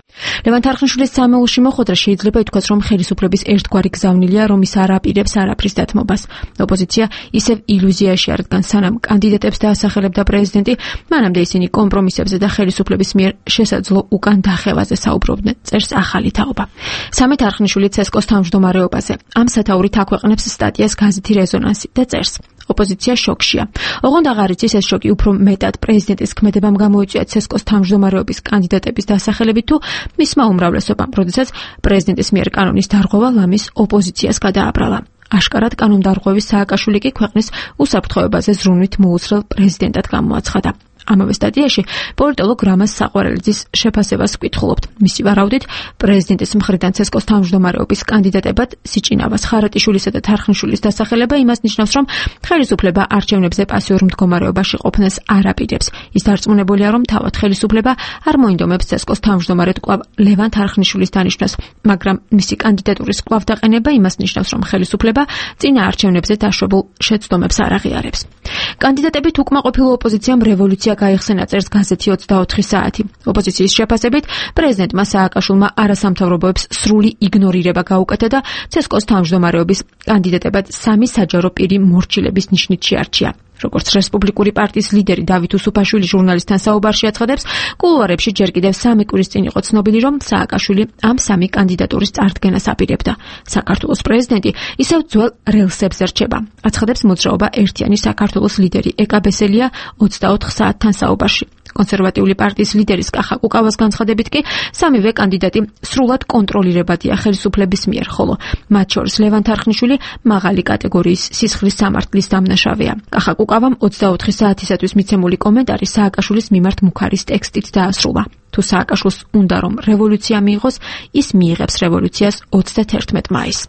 ლევან თარხნიშვილის სამეულში მოხვედრა შეიძლება ითქვას, რომ ხელისუფლების ერთგვარი გზავნილია, რომ ის არ აპირებს არაფრის დათმობას. ოპოზიცია ისევ ილუზიაში არ დგას, სანამ კანდიდატებს დაასახელებდა პრეზიდენტი, მანამდე ისინი კომპრომისებზე და ხელისუფლების მიერ შესაძლო უკან დახევაზე საუბრობდნენ, წერს ახალი თაობა. სამი თარხნიშვილი ცესკოს თავმჯდომარეობაზე. ამ სათაურით აქვეყნებს სტატიას გაზეთი რეზონანსი და წერს: ოპოზიცია შოკშია. ოღონდ აღარ იცის ეს შოკი უფრო მეტად პრეზიდენტის ქმედებამ გამოიწვია ცესკოს თავმჯდომარეობის კანდიდატების დასახელებით თუ მისმა უმრავლესობამ, როდესაც პრეზიდენტის მიერ კანონის დარღვევა ლამის ოპოზიციას გადააბრალა. აშკარად კანონდარღვევის სააკაშვილი კი ქვეყნის უსაფრთხოებაზე ზრუნვით მოუცხრელ პრეზიდენტად გამოაცხადა. ამავე სტატიაში პოლიტოლოგ რამაზ საყვარელიძის შეფასებას ვკითხულობთ. მისი ვარაუდით, პრეზიდენტის მხრიდან ცესკოს თავმჯდომარეობის კანდიდატებად სიჭინავას, ხარატიშვილისა და თარხნიშვილის დასახელება იმას ნიშნავს, რომ ხელისუფლება არჩევნებზე პასიურ მდგომარეობაში ყოფნას არ აპირებს. ის დარწმუნებულია, რომ თავად ხელისუფლება არ მოინდომებს ცესკოს თავმჯდომარედ კვლავ ლევან თარხნიშვილის დანიშვნას, მაგრამ მისი კანდიდატურის კვლავ დაყენება იმას ნიშნავს, რომ ხელისუფლება წინა არჩევნებზე დაშვებულ შეცდომებს არ აღიარებს. კანდიდატებით უკმაყოფილო ოპოზიციამ რევოლუცია გაიხსენა, წერს გაზეთი 24 საათი. ოპოზიციის შეფასებით, პრეზიდენტმა სააკაშვილმა არასამთავრობოებს სრული იგნორირება გაუკეთა და ცესკოს თავმჯდომარეობის კანდიდატებად სამი საჯარო პირი მორჩილების ნიშნით შეარჩია. როგორც რესპუბლიკური პარტიის ლიდერი დავით უსუფაშვილი ჟურნალისტთან საუბარში აცხადებს, კულუარებში ჯერ კიდევ 3 კვირის წინ იყო ცნობილი, რომ სააკაშვილი ამ სამი კანდიდატურის წარდგენას აპირებდა. საქართველოს პრეზიდენტი ისევ ძველ რელსებზე რჩება. აცხადებს მოძრაობა ერთიანი საქართველოს ლიდერი ეკა ბესელია 24 საათთან საუბარში. კონსერვატიული პარტიის ლიდერის კახა კუკავას განცხადებით კი სამივე კანდიდატი სრულად კონტროლირებადია ხელისუფლების მიერ, ხოლო მათ შორის ლევან თარხნიშვილი მაღალი კატეგორიის სისხლის სამართლის დამნაშავეა. კახა კუკავამ 24 საათისათვის მიცემული კომენტარი სააკაშვილის მიმართ მუქარის ტექსტით დაასრულა. თუ სააკაშვილს უნდა რომ რევოლუცია მიიღოს, ის მიიღებს რევოლუციას 31 მაისს.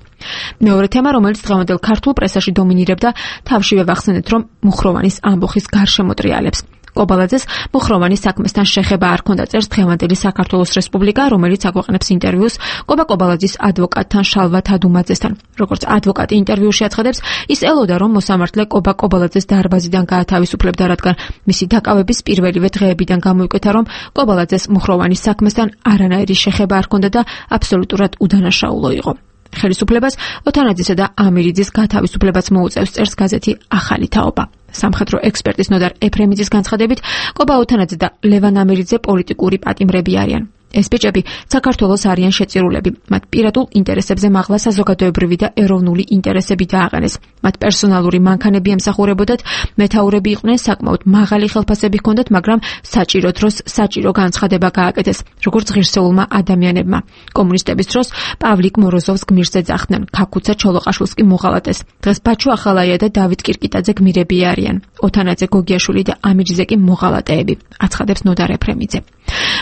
მეორე თემა, რომელიც დღევანდელ ქართულ პრესაში დომინირებდა, თავშივე ვახსენეთ, რომ მუხროვანის ამბოხის გარშემოტრიალებს. კობალაძეს მუხროვანის საქმესთან შეხება არ ჰქონდა, წერს დღევანდელი საქართველოს რესპუბლიკა, რომელიც აგვაყენებს ინტერვიუს კობალაძის ადვოკატთან შალვა თადუმაძესთან. როგორც ადვოკატი ინტერვიუში აცხადებს, ის ელოდა, რომ მოსამართლე კობალაძეს დარბაზიდან გაათავისუფლებდა, რადგან მისი დაკავების პირველივე დღეებიდან გამოიკვეთა, რომ კობალაძეს მუხროვანის საქმესთან არანაირი შეხება არ ჰქონდა და აბსოლუტურად უდანაშაულო იყო. ხელისუფლებას ოთანაძისა და ამირიძის გათავისუფლებაც მოუწევს, წერს გაზეთი ახალი თაობა. სამხედრო ექსპერტის ნოდარ ეფრემიძის განცხადებით, კობა ოთანაძე და ლევან ამირიძე პოლიტიკური პატიმრები არიან. ეს ბიჭები საქართველოს არიან შეწირულები. მათ პირადულ ინტერესებზე მაღლა საზოგადოებრივი და ეროვნული ინტერესები დააყენეს. მათ პერსონალური მანქანები ემსახურებოდათ, მეთაურები იყვნენ, საკმაოდ მაღალი ხელფასები ჰქონდათ, მაგრამ საჭირო დროს საჭირო განცხადება გააკეთეს, როგორც ღირსეულმა ადამიანებმა. კომუნისტების დროს პავლიკ მოროზოვს გმირს ეძახდნენ, ქაქუცა ჩოლოყაშვილს კი მოღალატეს. დღეს ბაჩუ ახალაია და დავით კირკიტაძე გმირები არიან. ოთანაძე, გოგიაშვილი და ამირიძე კი მოღალატეები, აცხადებს ნოდარ ეფრემიძე.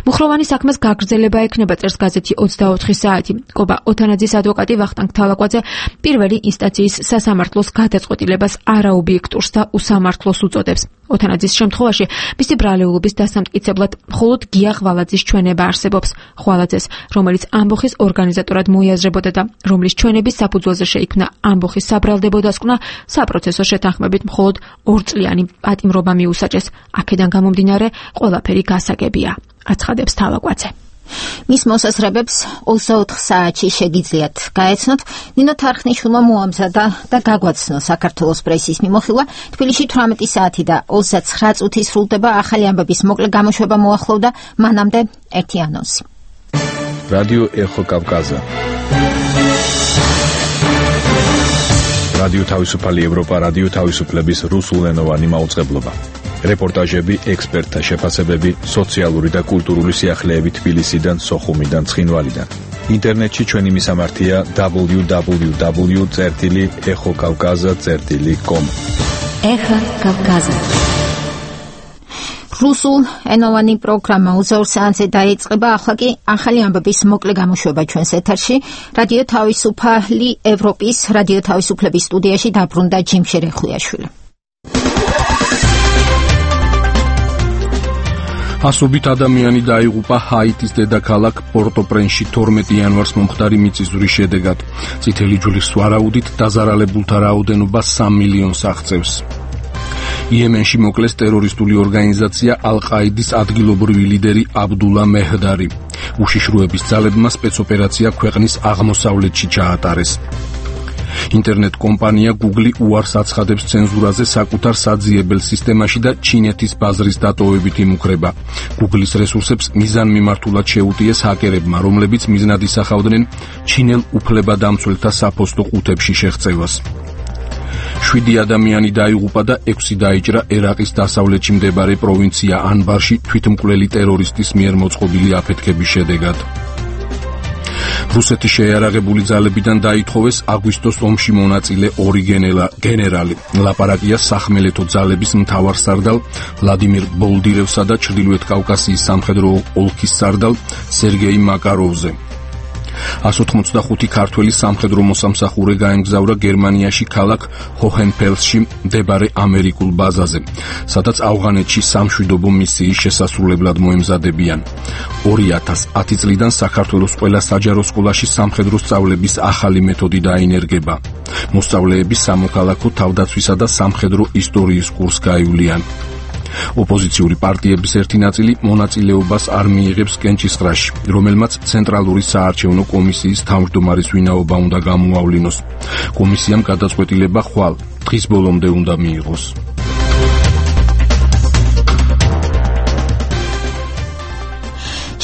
მუხროვანის საქმეს გაგრძელება ექნება, წერს გაზეთი 24 საათი. კობა ოთანაძის ადვოკატი ვახტანგ თალაკვაძე პირველი ინსტანციის სასამართლოს გადაწყვეტილებას არაობიექტურს და უსამართლოს უწოდებს. ოთანაძის შემთხვევაში მისი ბრალეულობის დასამტკიცებლად მხოლოდ გია ღვალაძის ჩვენება არსებობს. ღვალაძეს, რომელიც ამბოხის ორგანიზატორად მოიაზრებოდა და რომლის ჩვენების საფუძველზე შეიქმნა ამბოხის საბრალდებო დასკვნა, საპროცესო შეთანხმებით მხოლოდ 2 წლიანი პატიმრობა მიუსაჯეს. აქედან გამომდინარე, ყველაფერი გასაგებია, აცხადებს თალაკვაძე. მის მოსაზრებებს 24 საათში შეგიძლიათ გაეცნოთ. ნინო თარხნიშვილმა მოამზადა და გაგვაცნო საქართველოს პრესის მიმოხილვა. თბილისში 18 საათი და 29 წუთი სრულდება. ახალი ამბების მოკლე გამოშვება მოახლოვდა. მანამდე ერთი ანონსი. რადიო ეხო კავკაზა. რადიო თავისუფალი ევროპა, რადიო თავისუფლების რუსულენოვანი მაუწყებლობა. რეპორტაჟები, ექსპერტთა შეფასებები, სოციალური და კულტურული სიახლეები თბილისიდან, სოხუმიდან, ცხინვალიდან. ინტერნეტში ჩვენი მისამართია www.exokavkaza.com. ეხა კავკაზა. რუსულ ენოვანი პროგრამა 24 საათზე დაიწყება. ახლა კი ახალი ამბების მოკლე გამოშვება ჩვენს ეთერში. რადიო თავისუფალი ევროპის რადიო თავისუფლების სტუდიაში დაბრუნდა ჯიმშერ ხვიაშვილი. ასობით ადამიანი დაიღუპა ჰაიტის დედაქალაქ პორტო-პრენსში 12 იანვარს მომხდარი მიწისძვრის შედეგად. წითელი ჯვრის ვარაუდით დაზარალებულთა რაოდენობა 3 მილიონს აღწევს. იემენში მოკლეს ტერორისტული ორგანიზაცია ალ-ყაიდის ადგილობრივი ლიდერი აბდულა მეჰდარი. უშიშროების ძალებმა სპეცოპერაცია ქვეყნის აღმოსავლეთში ჩაატარეს. ინტერნეტ კომპანია Google უარს აცხადებს ცენზურაზე საკუთარ საძიებელ სისტემაში და ჩინეთის ბაზრის დატოვებით იმუქრება. Google-ის რესურსებს მიზანმიმართულად შეუტიეს ჰაკერებმა, რომლებიც მიზნად ისახავდნენ ჩინელ უფლებადამცველთა საფოსტო ყუთებში შეღწევას. 7 ადამიანი დაიღუპა და 6 დაიჭრა ერაყის დასავლეთში მდებარე პროვინცია ანბარში თვითმკვლელი ტერორისტის მიერ მოწყობილი აფეთქების შედეგად. რუსეთის შეიარაღებული ძალებიდან დაითხოვეს აგვისტოს ომში მონაწილე 2 გენერალი. ლაპარაკია სახმელეთო ძალების მთავარსარდალ ვლადიმირ ბოლდირევსა და ჩრდილოეთ კავკასიის სამხედრო ოლქის სარდალ სერგეი მაკაროვზე. 185 ქართველი სამხედრო მოსამსახურე გაემგზავრა გერმანიაში ქალაქ ჰოჰენფელსში მდებარე ამერიკულ ბაზაზე, სადაც ავღანეთში სამშვიდობო მისიის შესასრულებლად მოემზადებიან. 2010 წლიდან საქართველოს ყველა საჯარო სკოლაში სამხედრო სწავლების ახალი მეთოდი დაინერგება. მოსწავლეები სამოქალაქო თავდაცვისა და სამხედრო ისტორიის კურსს გაივლიან. ოპოზიციური პარტიების ერთი ნაწილი მონაწილეობას არ მიიღებს კენჭისყრაში, რომელმაც ცენტრალური საარჩევნო კომისიის თავმჯდომარის ვინაობა უნდა გამოავლინოს. კომისიამ გადაწყვეტილება ხვალ დღის ბოლომდე უნდა მიიღოს.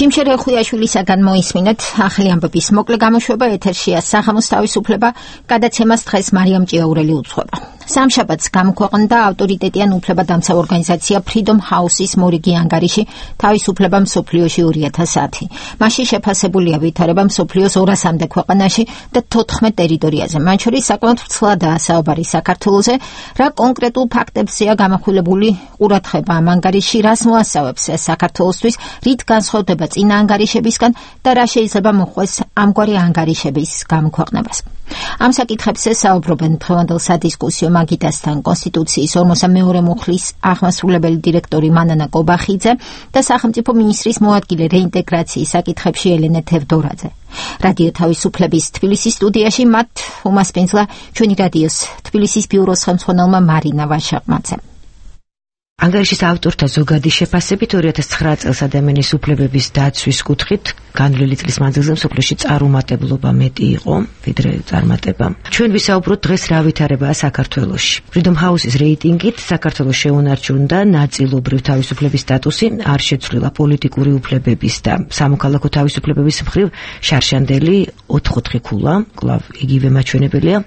ჯიმშერ ხვიაშვილისაგან მოისმინეთ ახალი ამბების მოკლე გამოშვება. ეთერშია საღამოს თავისუფლება. გადაცემას დღეს მარიამ ჭიაურელი უძღვება. სამშაბათს გამოქვეყნდა ავტორიტეტიან უფლებადამცავ ორგანიზაცია Freedom House-ის მორიგი ანგარიში თავისუფლება მსოფლიოში 2010. მასში შეფასებულია ვითარება მსოფლიოს 200-მდე ქვეყანაში და 14 ტერიტორიაზე. მათ შორის საკმაოდ ვრცლადაა საუბარი საქართველოზე. რა კონკრეტულ ფაქტებზეა გამახვილებული ყურადღება ამ ანგარიში, რას მოასწავებს საქართველოსთვის, რით განსხვავდება წინა ანგარიშებისგან და რა შეიძლება მოხდეს ამგვარი ანგარიშების გამოქვეყნებას. ამ საკითხებზე საუბრობენ დღევანდელ სადისკუსიო მაგიდასთან კონსტიტუციის 42 მუხლის აღმასრულებელი დირექტორი მანანა კობახიძე და სახელმწიფო მინისტრის მოადგილე რეინტეგრაციის საკითხებში ელენე თევდორაძე. რადიო თავისუფლების თბილისის სტუდიაში მათ უმასპინძლა ჩვენი რადიოს თბილისის ბიუროს ხელმძღვანელმა მარინა ვაშაყმაძემ. ანგარიშის ავტორთა ზოგადი შეფასებით 2009 წელს ადამიანის უფლებების დაცვის კუთხით განვლილი წლის მანძილზე მსოფლიოში წარუმატებლობა მეტი იყო, ვიდრე წარმატება. ჩვენ ვისაუბროთ დღეს რა ვითარებაა საქართველოში. Freedom House-ის რეიტინგით საქართველოს შეუნარჩუნდა ნაწილობრივ თავისუფლების სტატუსი, არ შეცვლილა პოლიტიკური უფლებების და სამოქალაქო თავისუფლებების მხრივ შარშანდელი 4 ქულა, კვლავ იგივე მაჩვენებელია.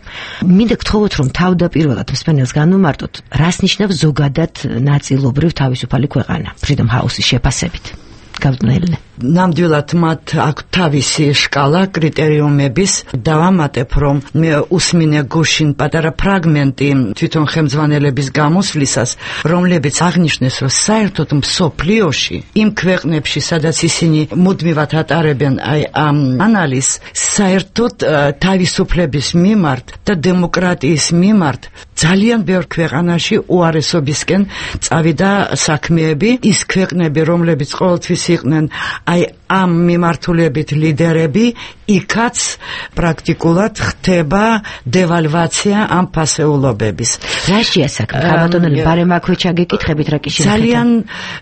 მინდა გთხოვოთ, რომ თავდაპირველად მსმენელს განვმარტოთ, რას ნიშნავს ზოგადად ნაწილობრივ თავისუფალი ქვეყანა Freedom House-ის შეფასებით. გავდნელნე. ნამდვილად მათ აქვს თავისი სკალა კრიტერიუმების. დავამატებ, რომ მე უსმინე გუშინ პატარა ფრაგმენტი თვითონ ხელმძღვანელების გამოსვლისას, რომლებიც აღნიშნეს, რომ საერთოდ მსოფლიოში იმ ქვეყნებში, სადაც ისინი მუდმივად ატარებენ ამ ანალიზს, საერთოდ თავისუფლების მიმართ და დემოკრატიის მიმართ ძალიან ბევრ ქვეყანაში უარესობისკენ წავიდა საქმეები. ის ქვეყნები, რომლებიც ყოველთვის იყვნენ ამ მიმართულებით ლიდერები, იქაც პრაქტიკულად ხდება devalvatsiya ამ ფასეულობების. რაშია საქმე? ხაბატონელი ბარემ აქვე ჩაგეკითხებით რა კი შეიძლება. ძალიან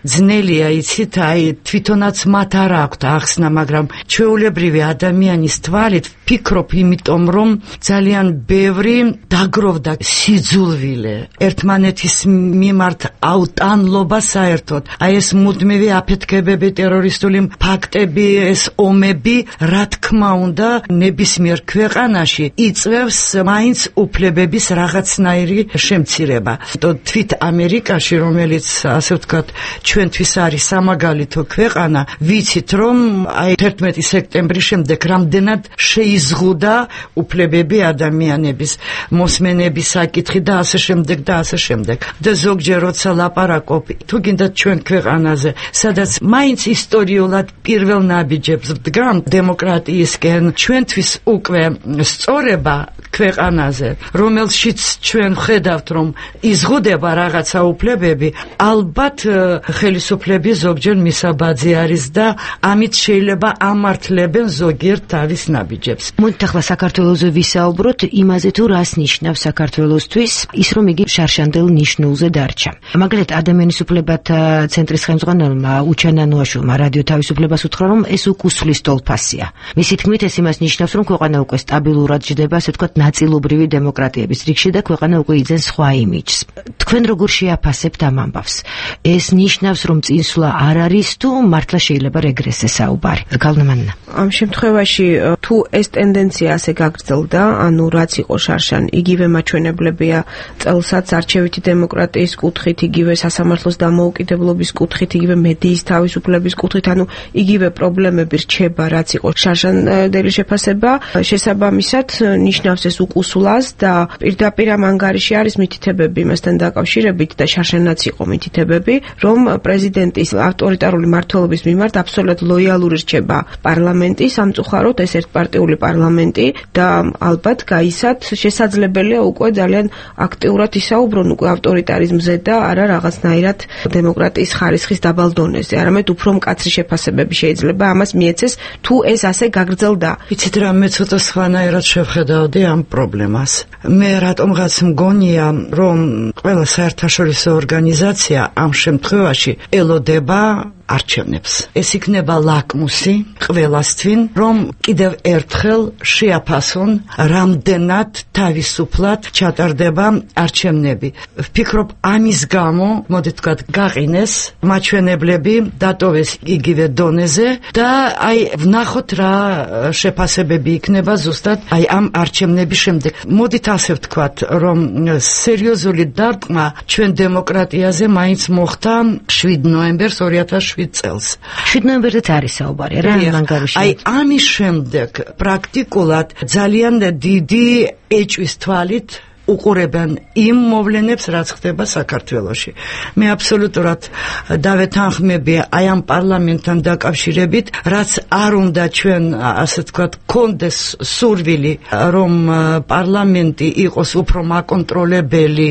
ძნელია, იცით, თვითონაც მათ არ აქვთ ახსნა, მაგრამ ჩვეულებრივი ადამიანის თვალით ვფიქრობ, იმიტომ რომ ძალიან ბევრი დაგროვდა სიძულვილი ერთმანეთის მიმართ აუტანლობა საერთოდ. ეს მუდმივი აფეთქებები, ტერორისტული ფაქტები, ეს ომები, რა თქმა უნდა, ნებისმიერ ქვეყანაში იწვევს მაინც უფლებების რაღაცნაირი შემცირება. თვით ამერიკაში, რომელიც ასე ვთქვათ, ჩვენთვის არის სამაგალითო ქვეყანა, ვიცით რომ 11 სექტემბრის შემდეგ რამდენად შეიზღუდა უფლებები ადამიანების, მოსმენების საკითხი და ასე შემდეგ და ასე შემდეგ. და ზოგჯერ როცა ლაპარაკობ, თუ გინდათ ჩვენ ქვეყანაზე, სადაც მაინც ისტორიულად პირველ ნაბიჯებს ვდგამ დემოკრატიისკენ, ჩვენთვის უკვე სწორება ქვეყანაზე, რომელშიც ჩვენ ვხედავთ, რომ იზღუდება რაღაცა უფლებები, ალბათ ხელისუფლები ზოგჯერ მისაბაძი არის და ამით შეიძლება ამართლებენ ზოგიერთ თავის ნაბიჯებს. მოდით ახლა საქართველოზე ვისაუბროთ იმაზე, თუ რას ნიშნავს საქართველოსთვის ის, რომ იგი შარშანდელ ნიშნულზე დარჩა. მაგალითად, ადამიანის უფლებათა ცენტრის ხელმძღვანელმა უჩანანუაშვილმა რადიო თავისუფლებას უთხრა, რომ ეს უკუსლის ტოლფასია. მისი თქმით, ეს იმას ნიშნავს, რომ ქვეყანა უკვე სტაბილურად ჯდება, ასე ვთქვათ, ნაწილობრივი დემოკრატიების რიგში და ქვეყანა უკვე იძენს სხვა იმიჯს. თქვენ როგორ შეაფასებთ ამ ამბავს? ეს ნიშნავს, რომ წინსვლა არ არის თუ მართლა შეიძლება რეგრესზე საუბარი? გალნამანნა. ამ შემთხვევაში თუ ეს ტენდენცია ასე გაგრძელდა, ანუ რაც იყო შარშან, იგივე მაჩვენებლებია წელსაც არჩევითი დემოკრატიის კუთხით, იგივე სასამართლოს დამოუკიდებლობის კუთხით, იგივე მედიის თავისუფლების კუთხით, ანუ იგივე პრობლემები რჩება, რაც იყო შარშანდელი შეფასება, შესაბამისად ნიშნავს ეს უკუსლას და პირდაპირ ამ ანგარიში არის მითითებები იმასთან დაკავშირებით და შარშანაც იყო მითითებები, რომ პრეზიდენტის ავტორიტარული მმართველობის მიმართ აბსოლუტურად ლოიალური რჩება პარლამენტი, სამწუხაროდ ეს ერთპარტიული პარლამენტი და ალბათ გაისად შესაძლებელია უკვე ძალიან აქტიურად ისაუბრონ უკვე ავტორიტარიზმზე და არა რაღაცნაირად დემოკრატიის ხარისხის დაბალ დონეზე, არამედ უფრო მკაცრი შეფასებები შეიძლება ამას მიეცეს, თუ ეს ასე გაგრძელდა. იცით რა, მე ცოტა სხვანაირად შევხედავდი ამ პრობლემას. მე რატომღაც მგონია, რომ ყველა საერთაშორისო ორგანიზაცია ამ შემთხვევაში ელოდება არჩევნებს. ეს იქნება ლაკმუსი ყველასთვის, რომ კიდევ ერთხელ შეაფასონ რამდენად თავისუფლად ჩატარდება არჩევნები. ვფიქრობ, ამის გამო, მოდით ვთქვათ, გაყინეს მაჩვენებლები, დატოვეს იგივე დონეზე და ვნახოთ რა შეფასებები იქნება ზუსტად ამ არჩევნების შემდეგ. მოდით ასე ვთქვათ, რომ სერიოზული დარტყმა ჩვენ დემოკრატიაზე მაინც მოხდა 7 ნოემბერს 2007 წელს. 7 ნოემბერზეც არის საუბარი რა ანგარიში. ამის შემდეგ პრაქტიკულად ძალიან დიდი ეჭვის თვალით უყურებენ იმ მოვლენებს, რაც ხდება საქართველოში. მე აბსოლუტურად დავეთანხმები ამ პარლამენტთან დაკავშირებით, რაც არ უნდა ჩვენ, ასე ვთქვათ, კონდეს სურვილი, რომ პარლამენტი იყოს უფრო მაკონტროლებელი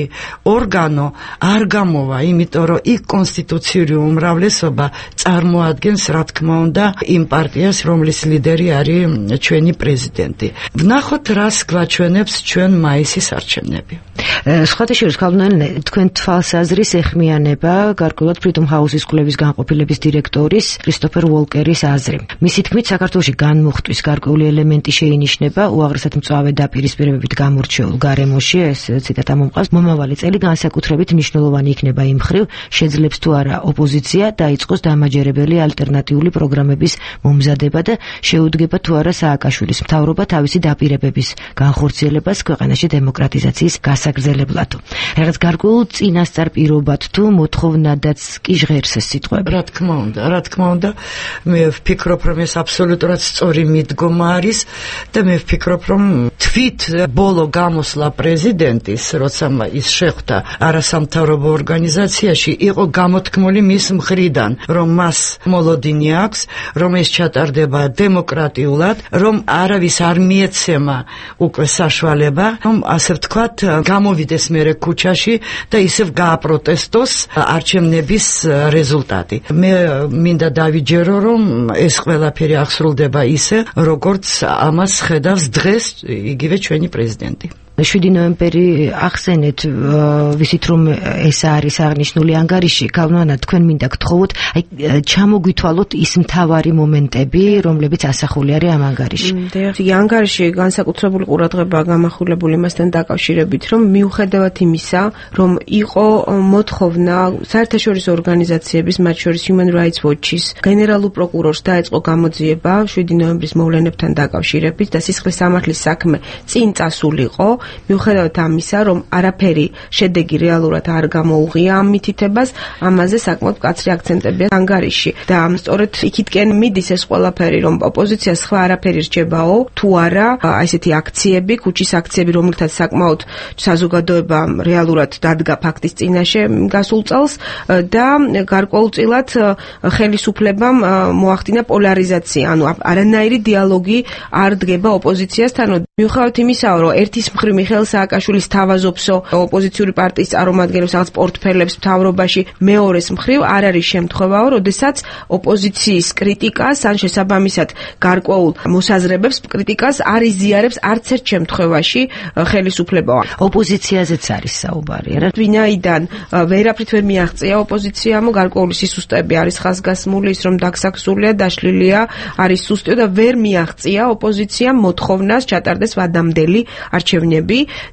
ორგანო, არ გამოვა, იმიტომ რომ იქ კონსტიტუციური უმრავლესობა წარმოადგენს, რა თქმა უნდა, იმ პარტიას, რომლის ლიდერი არის ჩვენი პრეზიდენტი. ვნახოთ, რას გვაჩვენებს ჩვენ მაისის არჩევნები. სხვათა შორის ქალბატონი, თქვენ თვალსაზრის ეხმიანება გარკვეულად Freedom House-ის კვლევის განყოფილების დირექტორის კრისტოფერ უოლკერის აზრი. მისი თქმით, საქართველოში განმუხტვის გარკვეული ელემენტი შეინიშნება უაღრესად მწვავე დაპირისპირებებით გამორჩეულ გარემოში, ეს ციტატა მომყავს, მომავალი წელი განსაკუთრებით მნიშვნელოვანი იქნება იმ მხრივ, შეძლებს თუ არა ოპოზიცია დაიწყოს დამაჯერებელი ალტერნატიული პროგრამების მომზადება და შეუდგება თუ არა სააკაშვილის მთავრობა თავისი დაპირებების განხორციელებას ქვეყანაში დემოკრატიზაციის გასაგრძელებლად. რაღაც გარკვეულ წინასწარ პირობად თუ მოთხოვნადაც კი ჟღერს ეს სიტყვები. რა თქმა უნდა, მე ვფიქრობ, რომ ეს აბსოლუტურად სწორი მიდგომა არის და მე ვფიქრობ, რომ თვით ბოლო გამოსვლა პრეზიდენტის, როცა ის შეხვდა არასამთავრობო ორგანიზაციაში, იყო გამოთქმული მის მხრიდან, რომ მას მოლოდინი აქვს, რომ ეს ჩატარდება დემოკრატიულად, რომ არავის არ მიეცემა უკვე საშუალება, რომ ასე ვთქვა თქვათ გამოვიდეს მერე ქუჩაში და ისევ გააპროტესტოს არჩევნების რეზულტატი. მე მინდა დავიჯერო, რომ ეს ყველაფერი აღსრულდება ისე, როგორც ამას ხედავს დღეს იგივე ჩვენი პრეზიდენტი. 7 ნოემბერი ახსენეთ, ვისით რომ ეს არის აღნიშნული ანგარიში, გავლანა თქვენ მინდა გთხოვოთ, აი ჩამოგვითვალოთ ის მთავარი მომენტები, რომლებიც ასახული არის ამ ანგარიში. ანგარიში განსაკუთრებული ყურადღებაა გამახვილებული მასთან დაკავშირებით, რომ მიუხედავად იმისა, რომ იყო მოთხოვნა საერთაშორისო ორგანიზაციების, მათ შორის Human Rights Watch-ის, გენერალურ პროკურორს დაეწყო გამოძიება 7 ნოემბრის მოვლენებთან დაკავშირებით და სისხლის სამართლის საქმე წინ წასულიყო. მიუხედავად ამისა, რომ არაფერი შედეგი რეალურად არ გამოუღია ამ მითითებას, ამაზე საკმაოდ მკაცრი აქცენტებია ანგარიში და სწორედ იქითკენ მიდის ეს ყველაფერი, რომ ოპოზიციას სხვა არაფერი რჩებაო, თუ არა, აი ესეთი აქციები, ქუჩის აქციები, რომელთაც საკმაოდ საზოგადოება რეალურად დადგა ფაქტის წინაშე გასულ წელს და გარკვეულწილად ხელისუფლებამ მოახდინა პოლარიზაცია, ანუ არანაირი დიალოგი არ დგება ოპოზიციასთან. მიუხედავად იმისა, რომ ერთის მხრივ მიხეილ სააკაშვილის თავაზობსო ოპოზიციური პარტიის წარმომადგენლებს რაღაც პორტფელებს მთავრობაში, მეორეს მხრივ არ არის შემთხვევაო, როდესაც ოპოზიციის კრიტიკას ან შესაბამისად გარკვეულ მოსაზრებებს კრიტიკას არ იზიარებს არც ერთ შემთხვევაში ხელისუფლება. ოპოზიციაზეც არის საუბარი, რა? ვინაიდან ვერაფრით ვერ მიაღწია ოპოზიციამ, გარკვეული სისუსტეები არის ხაზგასმული, ის რომ დაგსაქსულია, დაშლილია, არის სუსტიო და ვერ მიაღწია ოპოზიციამ მოთხოვნას ჩატარდეს ვადამდელი არჩევნები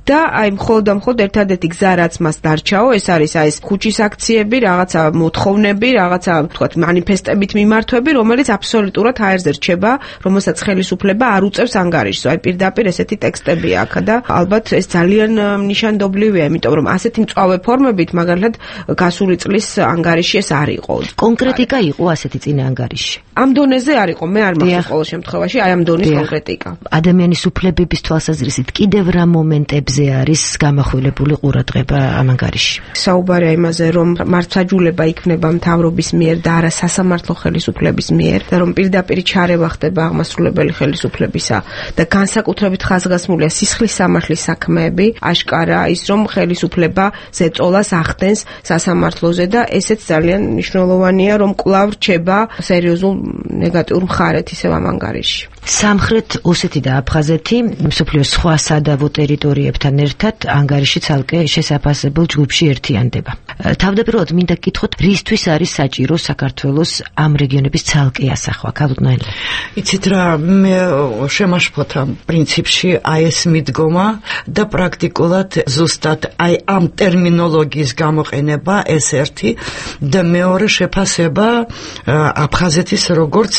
და აი მხოლოდ ერთადერთი გზა რაც მას დარჩაო, ეს არის აი ეს ქუჩის აქციები, რაღაცა მოთხოვნები, რაღაცა თქვათ მანიფესტებით მიმართვები, რომელიც აბსოლუტურად აერზე რჩება, რომელსაც ხელისუფლება არ უწევს ანგარიშს. აი პირდაპირ ესეთი ტექსტებია აქ და ალბათ ეს ძალიან ნიშანდობლივია, იმიტომ რომ ასეთი მწვავე ფორმებით მაგალითად გასული წლის ანგარიში ეს არ იყო. კონკრეტიკა იყო ასეთი წინა ანგარიში. ამ დონეზე არ იყო, მე არ მაქვს ყოველ შემთხვევაში აი ამ დონის კონკრეტიკა. ადამიანის უფლებების თვალსაზრისით კიდევ რა მომენტებზე არის გამახვილებული ყურადღება ამ ანგარიში? საუბარია იმაზე, რომ მართლმსაჯულება იქნება მთავრობის მიერ და არა სასამართლო ხელისუფლების მიერ და რომ პირდაპირ ჩარევა ხდება აღმასრულებელი ხელისუფლებისა და განსაკუთრებით ხაზგასმულია სისხლის სამართლის საქმეები, აშკარა ის, რომ ხელისუფლება ზეწოლას ახდენს სასამართლოზე და ესეც ძალიან მნიშვნელოვანია, რომ კვლავ რჩება სერიოზულ ნეგატიურ მხარეთ ისევ ამ ანგარიში. სამხრეთ ოსეთი და აფხაზეთი მსოფლიოს სხვა სადავო ტერიტორიებთან ერთად ანგარიში ცალკე შესაფასებელ ჯგუფში ერთიანდება. თავდაპირველად მინდა გკითხოთ, რისთვის არის საჭირო საქართველოს ამ რეგიონების ცალკე ასახვა, ქალბატონო? იცით რა, მე შემაშფოთა პრინციპში აი ეს მიდგომა და პრაქტიკულად ზუსტად აი ამ ტერმინოლოგიის გამოყენება ეს ერთი და მეორე შეფასება აფხაზეთის როგორც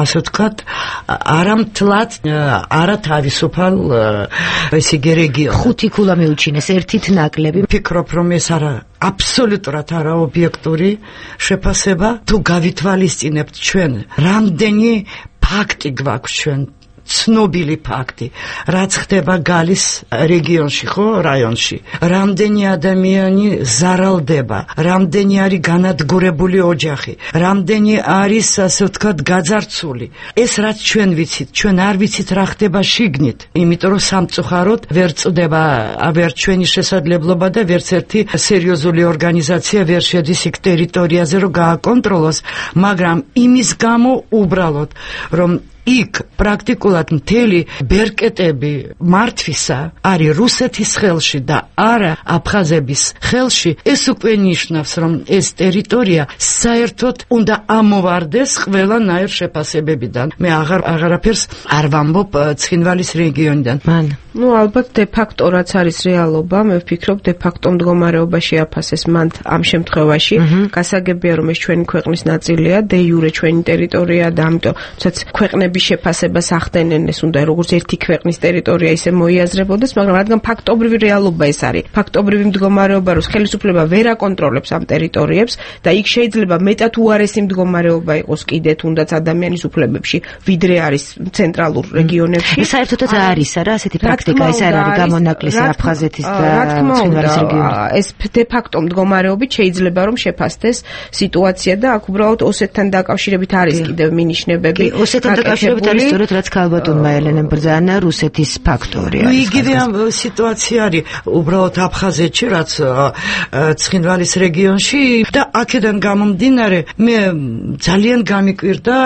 ასე ვთქვათ არამთლად არათავისუფალ ეს იგი რეგიონი. ხუთი ქულა მეუჩინეს, ერთით ნაკლები. ფიქრობ, რომ ეს არა აბსოლუტურად არაობიექტური შეფასება. თუ გავითვალისწინებთ ჩვენ, რამდენი ფაქტი გვაქვს ჩვენ ცნობილი ფაქტი, რაც ხდება გალის რეგიონში, ხო, რაიონში. რამდენი ადამიანი ზარალდება, რამდენი არის განადგურებული ოჯახი, რამდენი არის, ასე ვთქვათ, გაძარცული. ეს რაც ჩვენ ვიცით, ჩვენ არ ვიცით რა ხდება შიგნით, იმიტომ რომ სამწუხაროდ ვერ წდება ვერ ჩვენი შესაძლებლობა და ვერც ერთი სერიოზული ორგანიზაცია ვერ შედის იქ ტერიტორიაზე, რომ გააკონტროლოს, მაგრამ იმის გამო უბრალოდ, რომ იქ პრაქტიკულად მთელი ბერკეტები მართვისა არის რუსეთის ხელში და არა აფხაზების ხელში, ეს უკვე ნიშნავს, რომ ეს ტერიტორია საერთოდ უნდა ამოვარდეს ყველანაირ შეფასებებიდან. მე აღარაფერს არ ვამბობ ცხინვალის რეგიონიდან. ალბათ de facto რაც არის რეალობა, მე ვფიქრობ de facto მდგომარეობა შეაფასეს მან ამ შემთხვევაში. გასაგებია, რომ ეს ჩვენი ქვეყნის ნაწილია, de jure ჩვენი ტერიტორია და ამიტომ ქვეყნები შეფასებას ახდენენ, ეს უნდა როგორც ერთი ქვეყნის ტერიტორია ისე მოიაზრებოდეს, მაგრამ რადგან ფაქტობრივი რეალობა ეს არის, ფაქტობრივი მდგომარეობა, რომ ხელისუფლება ვერ აკონტროლებს ამ ტერიტორიებს და იქ შეიძლება მეტად უარესი მდგომარეობა იყოს კიდე თუნდაც ადამიანის უფლებებში, ვიდრე არის ცენტრალურ რეგიონებში. საერთოდაც არის არა ასეთი პრაქტიკა, ეს არ არის გამონაკლისი აფხაზეთის და ცხინვალის რეგიონში. ეს de facto მდგომარეობით შეიძლება რომ შეფასდეს სიტუაცია და აქ უბრალოდ ოსეთთან დაკავშირებით არის კიდევ მინიშნებები. ოსეთთან მიშებული სწორედ რაც ქალბატონმა ელენემ ბრძანა რუსეთის ფაქტორი არის. იგივე სიტუაცია არის უბრალოდ აფხაზეთში, რაც ცხინვალის რეგიონში და აქედან გამომდინარე მე ძალიან გამიკვირდა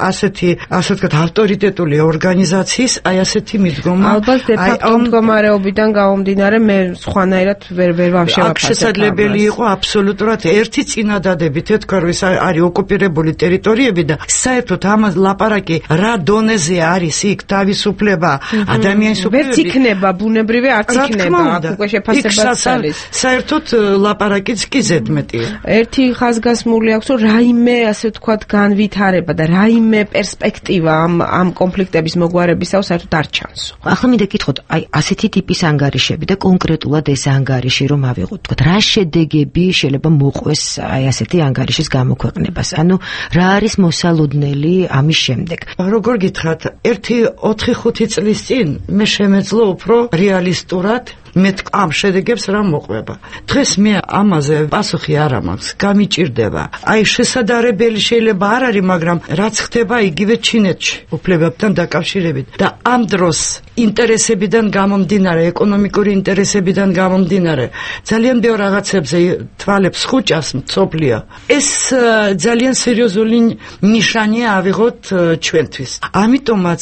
ასეთი ასე ვთქვათ ავტორიტეტული ორგანიზაციის აი ასეთი მიდგომა. ალბათ დე-ფაქტო მდგომარეობიდან გამომდინარე მე სხვანაირად ვერ ვამშევაფასებ. აქ შესაძლებელი იყო აბსოლუტურად ერთი წინადადებით ეთქვა რომ ეს არის ოკუპირებული ტერიტორიები და საერთოდ ამას ლაპარაკი რა დონეზე არის იქ თავისუფლება ადამიანის უფლებები ვერც იქნება ბუნებრივი არც იქნება აქ უკვე შეფასებაც არის საერთოდ ლაპარაკიც კი ზედმეტია ერთი ხაზგასმული აქვს რომ რაიმე ასე ვთქვათ განვითარება და რაიმე პერსპექტივა ამ კონფლიქტების მოგვარებისაო საერთოდ არ ჩანს ახლა მინდა გითხოთ აი ასეთი ტიპის ანგარიშები და კონკრეტულად ეს ანგარიში რომ ავიღოთ თქვათ რა შედეგები შეიძლება მოყვეს აი ასეთი ანგარიშის გამოქვეყნებას ანუ რა არის მოსალოდნელი ამის შემდეგ როგორ გითხრათ 1-4-5 წლის წინ მე შემეძლო უფრო რეალისტურად მე ამ შედეგებს რა მოყვება დღეს მე ამაზე პასუხი არ მაქვს გამიჭირდება აი შესაძლებელი შეიძლება არ არის მაგრამ რაც ხდება იგივე ჩინეთში უფლებებთან დაკავშირებით და ამ დროს ინტერესებიდან გამომდინარე ეკონომიკური ინტერესებიდან გამომდინარე ძალიან ბევრ რაღაცებზე თვალებს ხუჭას მწოფლია ეს ძალიან სერიოზული ნიშანია ავიღოთ ჩვენთვის ამიტომაც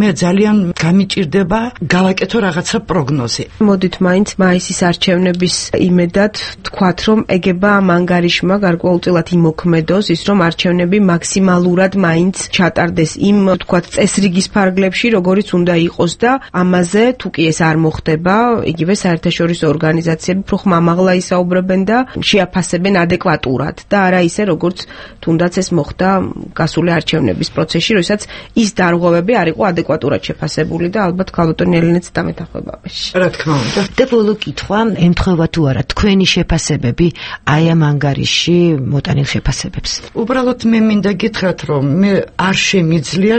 მე ძალიან გამიჭირდება გავაკეთო რაღაცა პროგნოზი მოდით მაინც მაისის არჩევნების იმედად თქვათ რომ ეგება ამ ანგარიშმა გარკვეულწილად იმოქმედოს ის რომ არჩევნები მაქსიმალურად მაინც ჩატარდეს იმ თქვათ წესრიგის ფარგლებში როგორიც უნდა იყოს და ამაზე თუ კი ეს არ მოხდება იგივე საერთაშორისო ორგანიზაციები უფრო ხმამაღლა ისაუბრებენ და შეაფასებენ ადეკვატურად და არა ისე როგორც თუნდაც ეს მოხდა გასული არჩევნების პროცესში როდესაც ის დარღვევები არ იყო ადეკვატურად შეფასებული და ალბათ ქალბატონი ელენეც დამეთახმება ამაში რა თქმა უნდა და ბოლო კითხვა ემთხვევა თუ არა თქვენი შეფასებები აი ამ ანგარიში მოტანილ შეფასებებს უბრალოდ მე მინდა გითხრათ რომ მე არ შემიძლია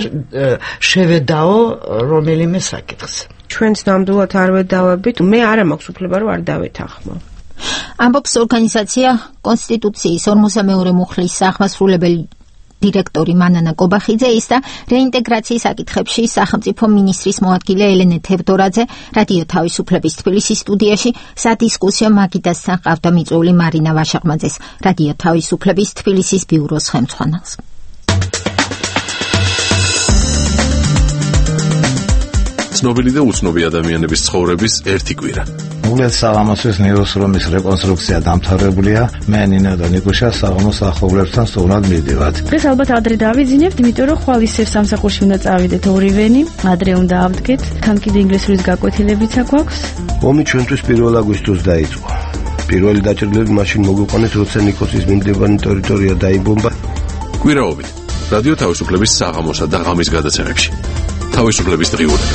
შევედაო რომელიმე საკითხს ჩვენც ნამდვილად არ ვედავებით მე არ მაქვს უფლება რომ არ დავეთანხმო ამბობს ორგანიზაცია კონსტიტუციის 42 მუხლის სახმასრულებელი დირექტორი მანანა კობახიძე ის და რეინტეგრაციის საკითხებში სახელმწიფო მინისტრის მოადგილე ელენე თევდორაძე რადიო თავისუფლების თბილისის სტუდიაში სადისკუსიო მაგიდასთან ყავდა მიწვეული მარინა ვაშაყმაძეს რადიო თავისუფლების თბილისის ბიუროს ხელმძღვანელს ცნობილი და უცნობი ადამიანების ცხოვრების ერთი კვირა. უგლეთ საღამოსის ნეიროსრომის რეკონსტრუქცია დამთავრებულია. მე ნინო და ნიკუშა საღამოს ახობლებთან სწორად მივდივართ. დღეს ალბათ ადრე დავიძინებთ, იმიტომ რომ ხვალ ისევ სამსახურში უნდა წავიდეთ ორივენი. ადრე უნდა ავდგეთ. თან კიდე ინგლისურის გაკვეთილებიც აქვს. ომი ჩვენთვის 1 აგვისტოს დაიწყო. პირველი დაჭრილები მაშინ მოგვიყვანეს, როცა ნიკოსის მიმდებარე ტერიტორია დაიბომბა. კვირაობით რადიო თავისუფლების საღამოსა და ღამის გადაცემებში. თავისუფლების დღიურები.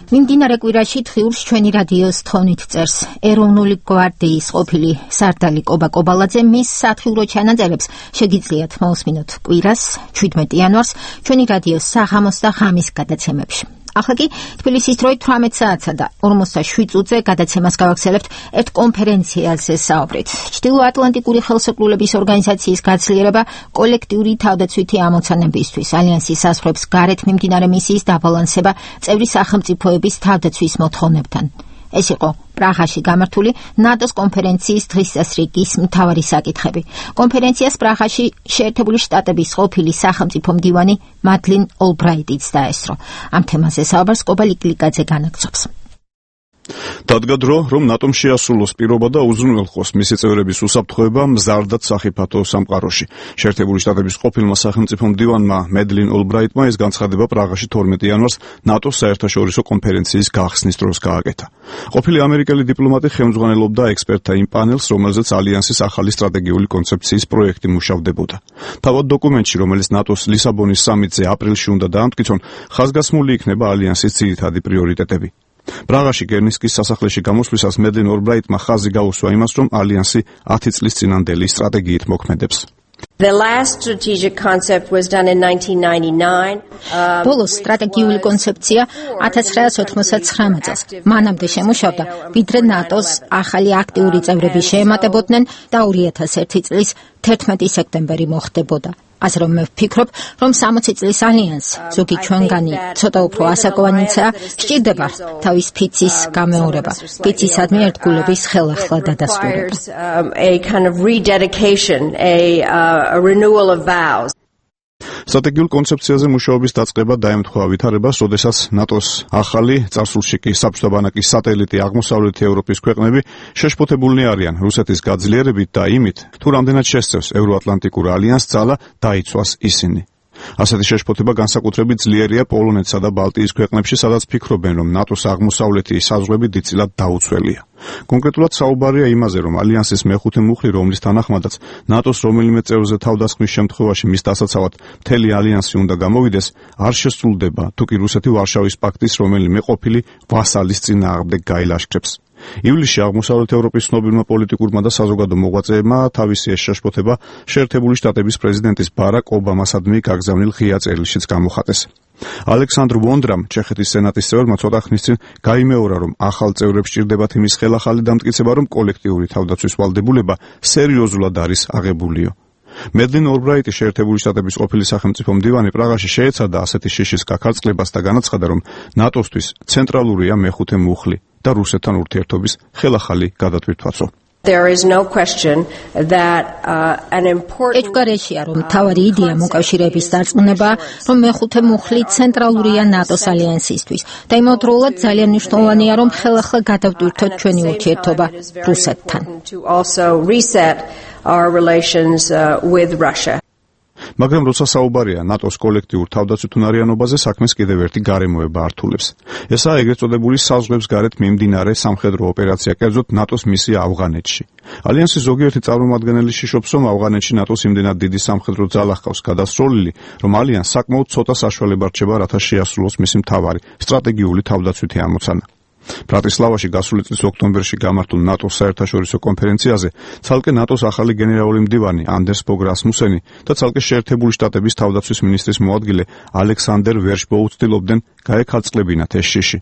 მიმდინარე კვირაში თხიურს ჩვენი რადიოს თხოვნით წერს ეროვნული გვარდიის ყოფილი სარდალი კობა კობალაძე მის სათხიურო ჩანაწერებს შეგიძლიათ მოусმინოთ კვირას 17 იანვარს ჩვენი რადიოს საღამოს და ღამის გადაცემებში ახლა კი თბილისის დროით 18 საათსა და 47 წუთზე გადაცემას გავაგრძელებთ ერთ კონფერენციაზე საუბრით. ჩრდილოატლანტიკური ხელსაყრელობის ორგანიზაციის გაცვლიერება კოლექტიური თავდაცვითი ამოცანებისთვის ალიანსის საზღვრებს გარეთ მიმდინარე მისიის დაბალანსება წევრი სახელმწიფოების თავდაცვის მოთხოვნებთან. ეს იყო პრაღაში გამართული ნატოს კონფერენციის დღის წესრიგის მთავარი საკითხები. კონფერენციას პრაღაში შეერთებული შტატების ყოფილი სახელმწიფო მდივანი მადლინ ოლბრაიტიც დაესწრო. ამ თემაზე საუბარს კობა ლიკლიკაძე განაგრძობს. დადგა დრო, რომ ნატომ შეასრულოს პირობა და უზრუნველყოს მისი წევრების უსაფრთხოება მზარდად სახიფათო სამყაროში. შეერთებული შტატების ყოფილმა სახელმწიფო მდივანმა მედლინ ოლბრაიტმა ეს განცხადება პრაღაში 12 იანვარს ნატოს საერთაშორისო კონფერენციის გახსნის დროს გააკეთა. ყოფილი ამერიკელი დიპლომატი ხელმძღვანელობდა ექსპერტთა იმ პანელს, რომელზეც ალიანსის ახალი სტრატეგიული კონცეფციის პროექტი მუშავდებოდა. თავად დოკუმენტში, რომელიც ნატოს ლისაბონის სამიტზე აპრილში უნდა დაამტკიცონ, ხაზგასმული იქნება ალიანსის ძირითადი პრიორიტეტები. პრაღაში გერნისკის სასახლეში გამოსვლისას მედლინ ოლბრაიტმა ხაზი გაუსვა იმას, რომ ალიანსი 10 წლის წინანდელი სტრატეგიით მოქმედებს. The last strategic concept was done in 1999. ბოლოს სტრატეგიული კონცეფცია 1999 წელს მანამდე შემუშავდა, ვიდრე ნატოს ახალი აქტიური წევრები შეემატებოდნენ და 2001 წლის 11 სექტემბერი მოხდებოდა. ასე რომ მე ვფიქრობ, რომ 60 წლის ალიანს, ზოგი ჩვენგანი ცოტა უფრო ასაკოვანიცაა, სჭირდება თავის ფიცის გამეორება, ფიცისადმი ერთგულების ხელახლა დადასტურება. A kind of rededication, a renewal of vows. სტრატეგიულ კონცეფციაზე მუშაობის დაწყება დაემთხვა ვითარებას, როდესაც ნატოს ახალი წარსულში კი საბჭოთა ბანაკის სატელიტი აღმოსავლეთი ევროპის ქვეყნები შეშფოთებულნი არიან რუსეთის გაძლიერებით და იმით, თუ რამდენად შესწევს ევროატლანტიკურ ალიანსს ძალა დაიცვას ისინი. ასეთი შეშფოთება განსაკუთრებით ძლიერია პოლონეთსა და ბალტიის ქვეყნებში, სადაც ფიქრობენ, რომ ნატოს აღმოსავლეთი საზღვრები დიდწილად დაუცველია. კონკრეტულად საუბარია იმაზე, რომ ალიანსის მეხუთე მუხლი, რომლის თანახმადაც ნატოს რომელიმე წევრზე თავდასხმის შემთხვევაში მის დასაცავად მთელი ალიანსი უნდა გამოვიდეს, არ შესრულდება, თუ კი რუსეთი ვარშავის პაქტის რომელიმე ყოფილი ვასალის წინააღმდეგ გაილაშქრებს. ივლისში აღმოსავლეთ ევროპის ცნობილმა პოლიტიკურმა და საზოგადო მოღვაწეებმა თავისი ეს შეშფოთება შეერთებული შტატების პრეზიდენტის ბარაკ ობამასადმი გაგზავნილ ღია წერილშიც გამოხატეს. ალექსანდრ ვონდრამ, ჩეხეთის სენატის წევრმა ცოტა ხნის წინ გაიმეორა, რომ ახალ წევრებს სჭირდებათ იმის ხელახალი დამტკიცება, რომ კოლექტიური თავდაცვის ვალდებულება სერიოზულად არის აღებულიო. მედლინ ოლბრაიტი, შეერთებული შტატების ყოფილი სახელმწიფო მდივანი, პრაღაში შეეცადა ასეთი შიშის გაქარწყლებას და განაცხადა, რომ ნატოსთვის ცენტრალურია მეხუთე მუხლი და რუსეთთან ურთიერთობის ხელახალი გადატვირთვაცო. There is no question that an important ეჭვგარეშია, რომ თავარი იდეა მოკავშირეების დარწმუნება, რომ მეხუთე მუხლი ცენტრალურია ნატოს ალიანსისთვის და იმავდროულად ძალიან მნიშვნელოვანია, რომ ხელახლა გადავტვირთოთ ჩვენი ურთიერთობა რუსეთთან. Our relations with Russia. მაგრამ როცა საუბარია ნატოს კოლექტიურ თავდაცვითუნარიანობაზე, საქმეს კიდევ ერთი გარემოება ართულებს. ესაა ეგრეთ წოდებული საზღვრებს გარეთ მიმდინარე სამხედრო ოპერაცია, კერძოდ ნატოს მისია ავღანეთში. ალიანსის ზოგიერთი წარმომადგენელი შიშობს, რომ ავღანეთში ნატოს იმდენად დიდი სამხედრო ძალა ჰყავს გადასროლილი, რომ ალიანსს საკმაოდ ცოტა საშუალება რჩება, რათა შეასრულოს მისი მთავარი სტრატეგიული თავდაცვითი ამოცანა. ბრატისლავაში გასული წლის ოქტომბერში გამართულ ნატოს საერთაშორისო კონფერენციაზე ცალკე ნატოს ახალი გენერალური მდივანი ანდერს ბოგ რასმუსენი და ცალკე შეერთებული შტატების თავდაცვის მინისტრის მოადგილე ალექსანდერ ვერშბოუ ცდილობდნენ გაეკალწყლებინათ ეს შიში.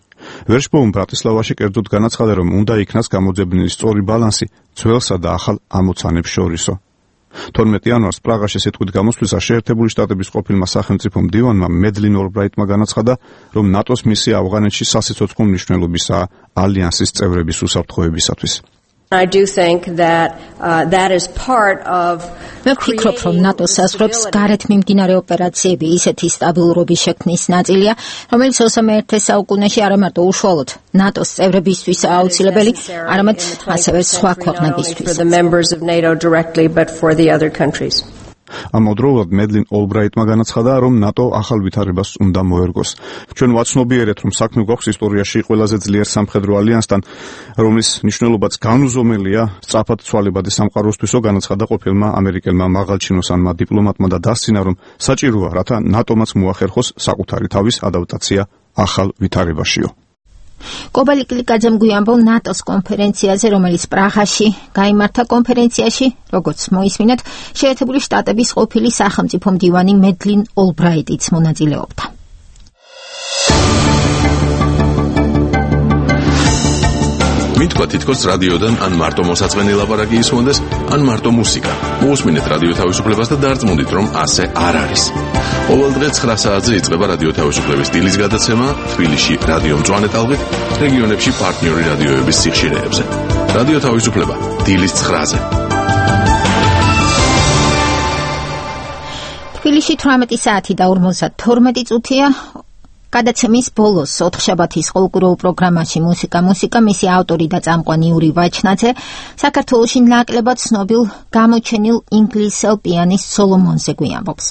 ვერშბოუმ ბრატისლავაში კერძოდ განაცხადა, რომ უნდა იქნას გამოძებნილი სწორი ბალანსი ძველსა და ახალ ამოცანებს შორისო. 12 იანვარს პრაღაში სიტყვით გამოსვლისას შეერთებული შტატების ყოფილმა სახელმწიფო მდივანმა მედლინ ოლბრაიტმა განაცხადა, რომ ნატოს მისია ავღანეთში სასიცოცხლო მნიშვნელობისაა ალიანსის წევრების უსაფრთხოებისათვის. I do think that that is part of მე ვფიქრობ, რომ ნატოს საზღვრებს გარეთ მიმდინარე ოპერაციები ისეთი სტაბილურობის შექმნის ნაწილია, რომელიც 21 საუკუნეში არა მარტო უშუალოდ ნატოს წევრებისთვის აუცილებელი, არამედ ასევე სხვა ქვეყნებისთვის. ამავდროულად მედლინ ოლბრაიტმა განაცხადა, რომ ნატო ახალ ვითარებას უნდა მოერგოს. ჩვენ ვაცნობიერეთ, რომ საქმე გვაქვს ისტორიაში ყველაზე ძლიერ სამხედრო ალიანსთან, რომლის მნიშვნელობაც განუზომელია სწრაფად ცვალებადი სამყაროსთვისო, განაცხადა ყოფილმა ამერიკელმა მაღალჩინოსანმა დიპლომატმა და დასცინა, რომ საჭიროა, რათა ნატომაც მოახერხოს საკუთარი თავის ადაპტაცია ახალ ვითარებაშიო. კობალი კლიკაძემ გვიამბო ნატოს კონფერენციაზე, რომელიც პრაღაში გაიმართა. კონფერენციაში, როგორც მოისმინეთ, შეერთებული შტატების ყოფილი სახელმწიფო მდივანი მედლინ ოლბრაიტიც მონაწილეობდა. მითქვა თითქოს რადიოდან ან მარტო მოსაწყენი ლაპარაკი ისმონდეს, ან მარტო მუსიკა. მოусმინეთ რადიო თავისუფლებას და დარწმუნდით, რომ ასე არ არის. ყოველ დღე 9 საათზე იწყება რადიო თავისუფლების დილის გადაცემა თბილისში რადიო მწვანე ტალღით, რეგიონებში პარტნიორი რადიოების სიხშირეებზე. რადიო თავისუფლება დილის 9-ზე. თბილისში 18 საათი და 52 წუთია. გადაცემის ბოლოს ოთხშაბათის ყოველკვირეულ პროგრამაში მუსიკა მისი ავტორი და წამყვანი იური ვაჩნაძე საქართველოში ნაკლებად ცნობილ გამოჩენილ ინგლისელ პიანისტ სოლომონზე გვიამბობს.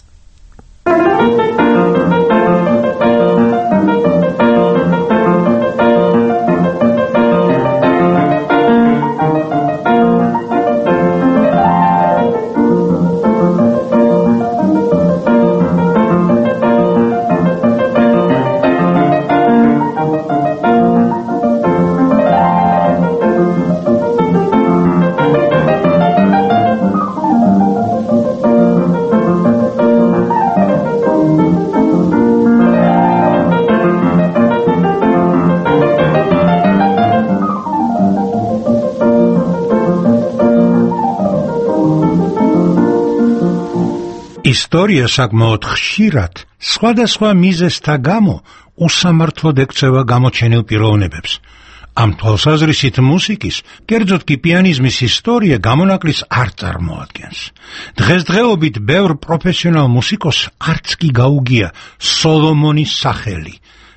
ისტორია საკმაოდ ხშირად სხვადასხვა მიზეზთა გამო უსამართლოდ ექცევა გამოჩენილ პიროვნებებს. ამ თვალსაზრისით მუსიკის, კერძოდ კი პიანიზმის ისტორია გამონაკლის არ წარმოადგენს. დღესდღეობით ბევრ პროფესიონალ მუსიკოსს არც კი გაუგია სოლომონის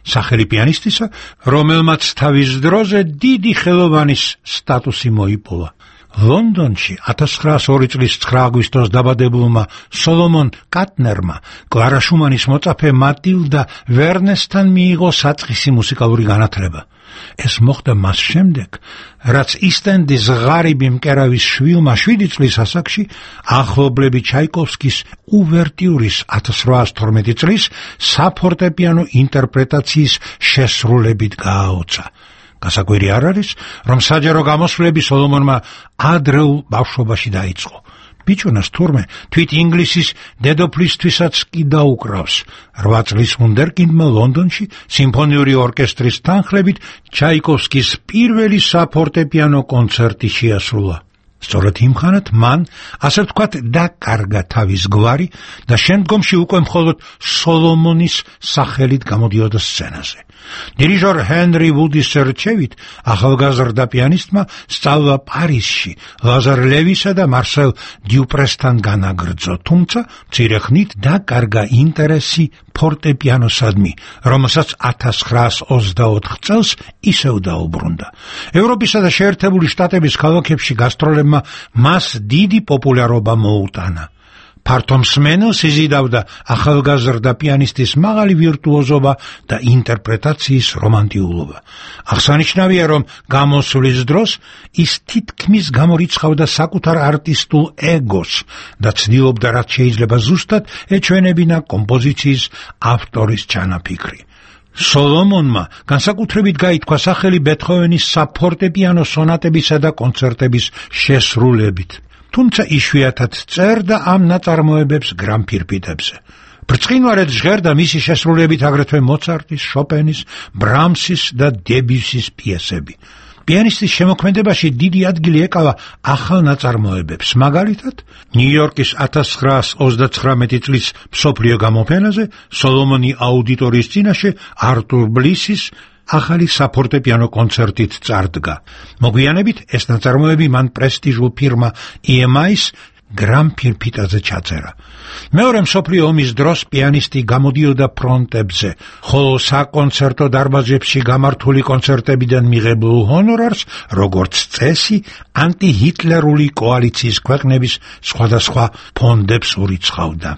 სახელი პიანისტისა, რომელმაც თავის დროზე დიდი ხელოვანის სტატუსი მოიპოვა. ლონდონში 1902 წლის 9 აგვისტოს დაბადებულმა სოლომონ კატნერმა კლარა შუმანის მოწაფე მატილდა ვერნესთან მიიღო საწყისი მუსიკალური განათლება. ეს მოხდა მას შემდეგ, რაც ისტენდის ღარიბი მკერავის შვილმა 7 წლის ასაკში ახლობლები ჩაიკოვსკის უვერტიურის 1812 წლის საფორტეპიანო ინტერპრეტაციის შესრულებით გააოცა. გასაკვირი არ არის, რომ საჯარო გამოსვლები სოლომონმა ადრეულ ბავშვობაში დაიწყო. ბიჭუნას თურმე თვით ინგლისის დედოფლისთვისაც კი დაუკრავს. 8 წლის ვუნდერკინდმა ლონდონში სიმფონიური ორკესტრის თანხლებით ჩაიკოვსკის პირველი საფორტეპიანო კონცერტი შეასრულა. სწორედ იმ ხანად მან, ასე ვთქვათ, დაკარგა თავის გვარი და შემდგომში უკვე მხოლოდ სოლომონის სახელით გამოდიოდა სცენაზე. დირიჟორ ჰენრი ვუდის რჩევით ახალგაზრდა პიანისტმა სწავლა პარიზში ლაზარ ლევისა და მარსელ დიუპრესთან განაგრძო, თუმცა მცირე ხნით დაკარგა ინტერესი ფორტეპიანოსადმი, რომელსაც 1924 წელს ისევ დაუბრუნდა. ევროპისა და შეერთებული შტატების ქალაქებში გასტროლებმა მას დიდი პოპულარობა მოუტანა. ფართო მსმენელს იზიდავდა ახალგაზრდა პიანისტის მაღალი ვირტუოზობა და ინტერპრეტაციის რომანტიულობა. აღსანიშნავია, რომ გამოსვლის დროს ის თითქმის გამორიცხავდა საკუთარ არტისტულ ეგოს და ცდილობდა, რაც შეიძლება ზუსტად ეჩვენებინა კომპოზიციის ავტორის ჩანაფიქრი. სოლომონმა განსაკუთრებით გაითქვა სახელი ბეთჰოვენის საფორტეპიანო სონატებისა და კონცერტების შესრულებით. თუმცა იშვიათად წერდა ამ ნაწარმოებებს გრამფირფიტებზე. ბრწყინვალედ ჟღერდა მისი შესრულებით აგრეთვე მოცარტის, შოპენის, ბრამსის და დებიუსის პიესები. პიანისტის შემოქმედებაში დიდი ადგილი ეკავა ახალ ნაწარმოებებს, მაგალითად, ნიუ-იორკის 1929 წლის მსოფლიო გამოფენაზე სოლომონი აუდიტორიის წინაშე არტურ ბლისის ახალი საფორტეპიანო კონცერტით წარდგა. მოგვიანებით ეს ნაწარმოები მან პრესტიჟულ ფირმა EMI-ს გრამფირფიტაზე ჩაწერა. მეორე მსოფლიო ომის დროს პიანისტი გამოდიოდა ფრონტებზე, ხოლო საკონცერტო დარბაზებში გამართული კონცერტებიდან მიღებულ ჰონორარს, როგორც წესი, ანტიჰიტლერული კოალიციის ქვეყნების სხვადასხვა ფონდებს ურიცხავდა.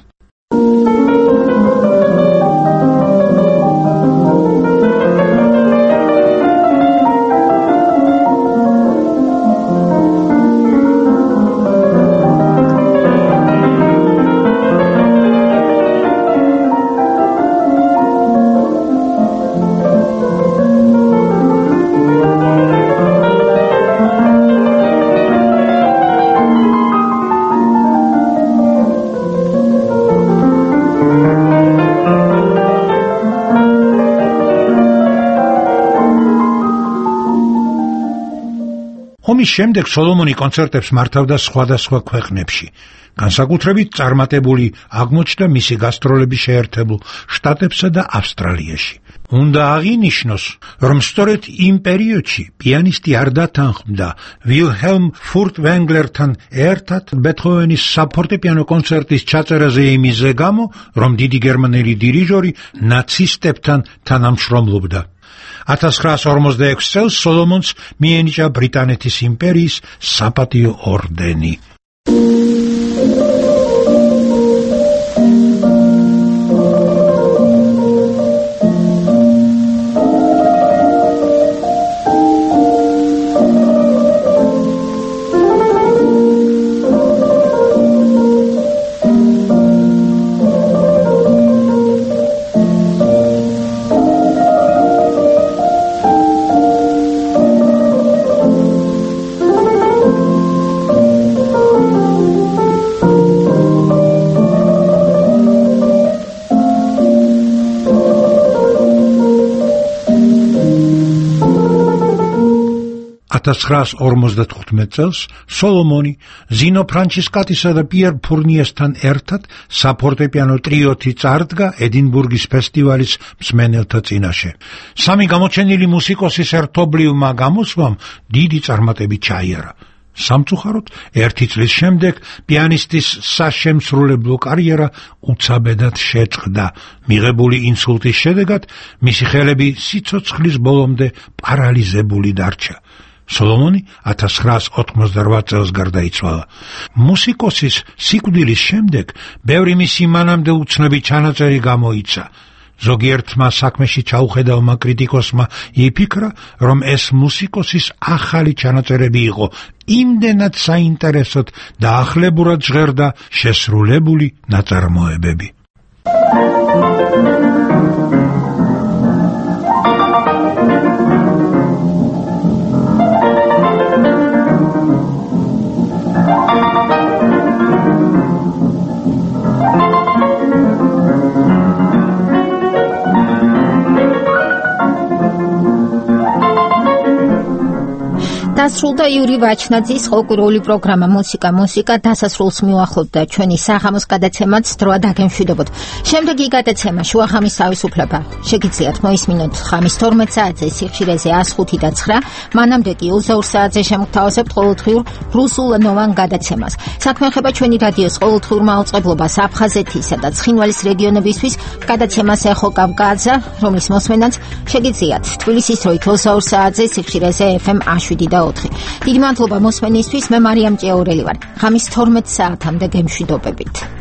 ომის შემდეგ სოლომონი კონცერტებს მართავდა სხვადასხვა ქვეყნებში. განსაკუთრებით წარმატებული აღმოჩნდა მისი გასტროლები შეერთებულ შტატებსა და ავსტრალიაში. უნდა აღინიშნოს, რომ სწორედ იმ პერიოდში პიანისტი არ დათანხმდა ვილჰელმ ფურტვენგლერთან ერთად ბეთჰოვენის საფორტეპიანო კონცერტის ჩაწერაზე იმის გამო, რომ დიდი გერმანელი დირიჟორი ნაცისტებთან თანამშრომლობდა. 1946 წელს სოლომონს მიენიჭა ბრიტანეთის იმპერიის საპატიო ორდენი. 1955 წელს სოლომონი ზინო ფრანჩისკატისა და პიერ ფურნიესთან ერთად საფორტეპიანო ტრიოთი წარდგა ედინბურგის ფესტივალის მსმენელთა წინაშე. სამი გამოჩენილი მუსიკოსის ერთობლივმა გამოსვლამ დიდი წარმატებით ჩაიარა. სამწუხაროდ, 1 წლის შემდეგ პიანისტის საშემსრულებლო კარიერა უცაბედად შეწყდა. მიღებული ინსულტის შედეგად მისი ხელები სიცოცხლის ბოლომდე პარალიზებული დარჩა. სოლომონი 1988 წელს გარდაიცვალა. მუსიკოსის სიკვდილის შემდეგ ბევრი მისი მანამდე უცნობი ჩანაწერი გამოიცა. ზოგიერთმა საქმეში ჩაუხედავმა კრიტიკოსმა იფიქრა, რომ ეს მუსიკოსის ახალი ჩანაწერები იყო, იმდენად საინტერესოდ და ახლებურად ჟღერდა შესრულებული ნაწარმოებები. დასრულდა იური ვაჩნაძის ხალხური პროგრამა მუსიკა დასასრულს მიუახლოვდა ჩვენი საღამოს გადაცემაც დროა დაგემშვიდობოთ. შემდეგი გადაცემა შუახამის თავისუფლება. შეგიძლიათ მოისმინოთ ხამის 12 საათზე სიხშირეზე 105 და 9, მანამდე კი 22 საათზე შემოგთავაზებთ ყოველდღიურ რუსულენოვან გადაცემას. საქმე ეხება ჩვენი რადიოს ყოველდღიურ მაუწყებლობას აფხაზეთისა და ცხინვალის რეგიონებისთვის გადაცემას ეხო კავკაზა, რომლის მოსმენაც შეგიძლიათ თბილისის დროით 22 საათზე სიხშირეზე FM 7 და 4. დიდი მადლობა მოსმენისთვის, მე მარიამ ჭეორელი ვარ. ხამის 12 საათამდე გემშვიდობებით.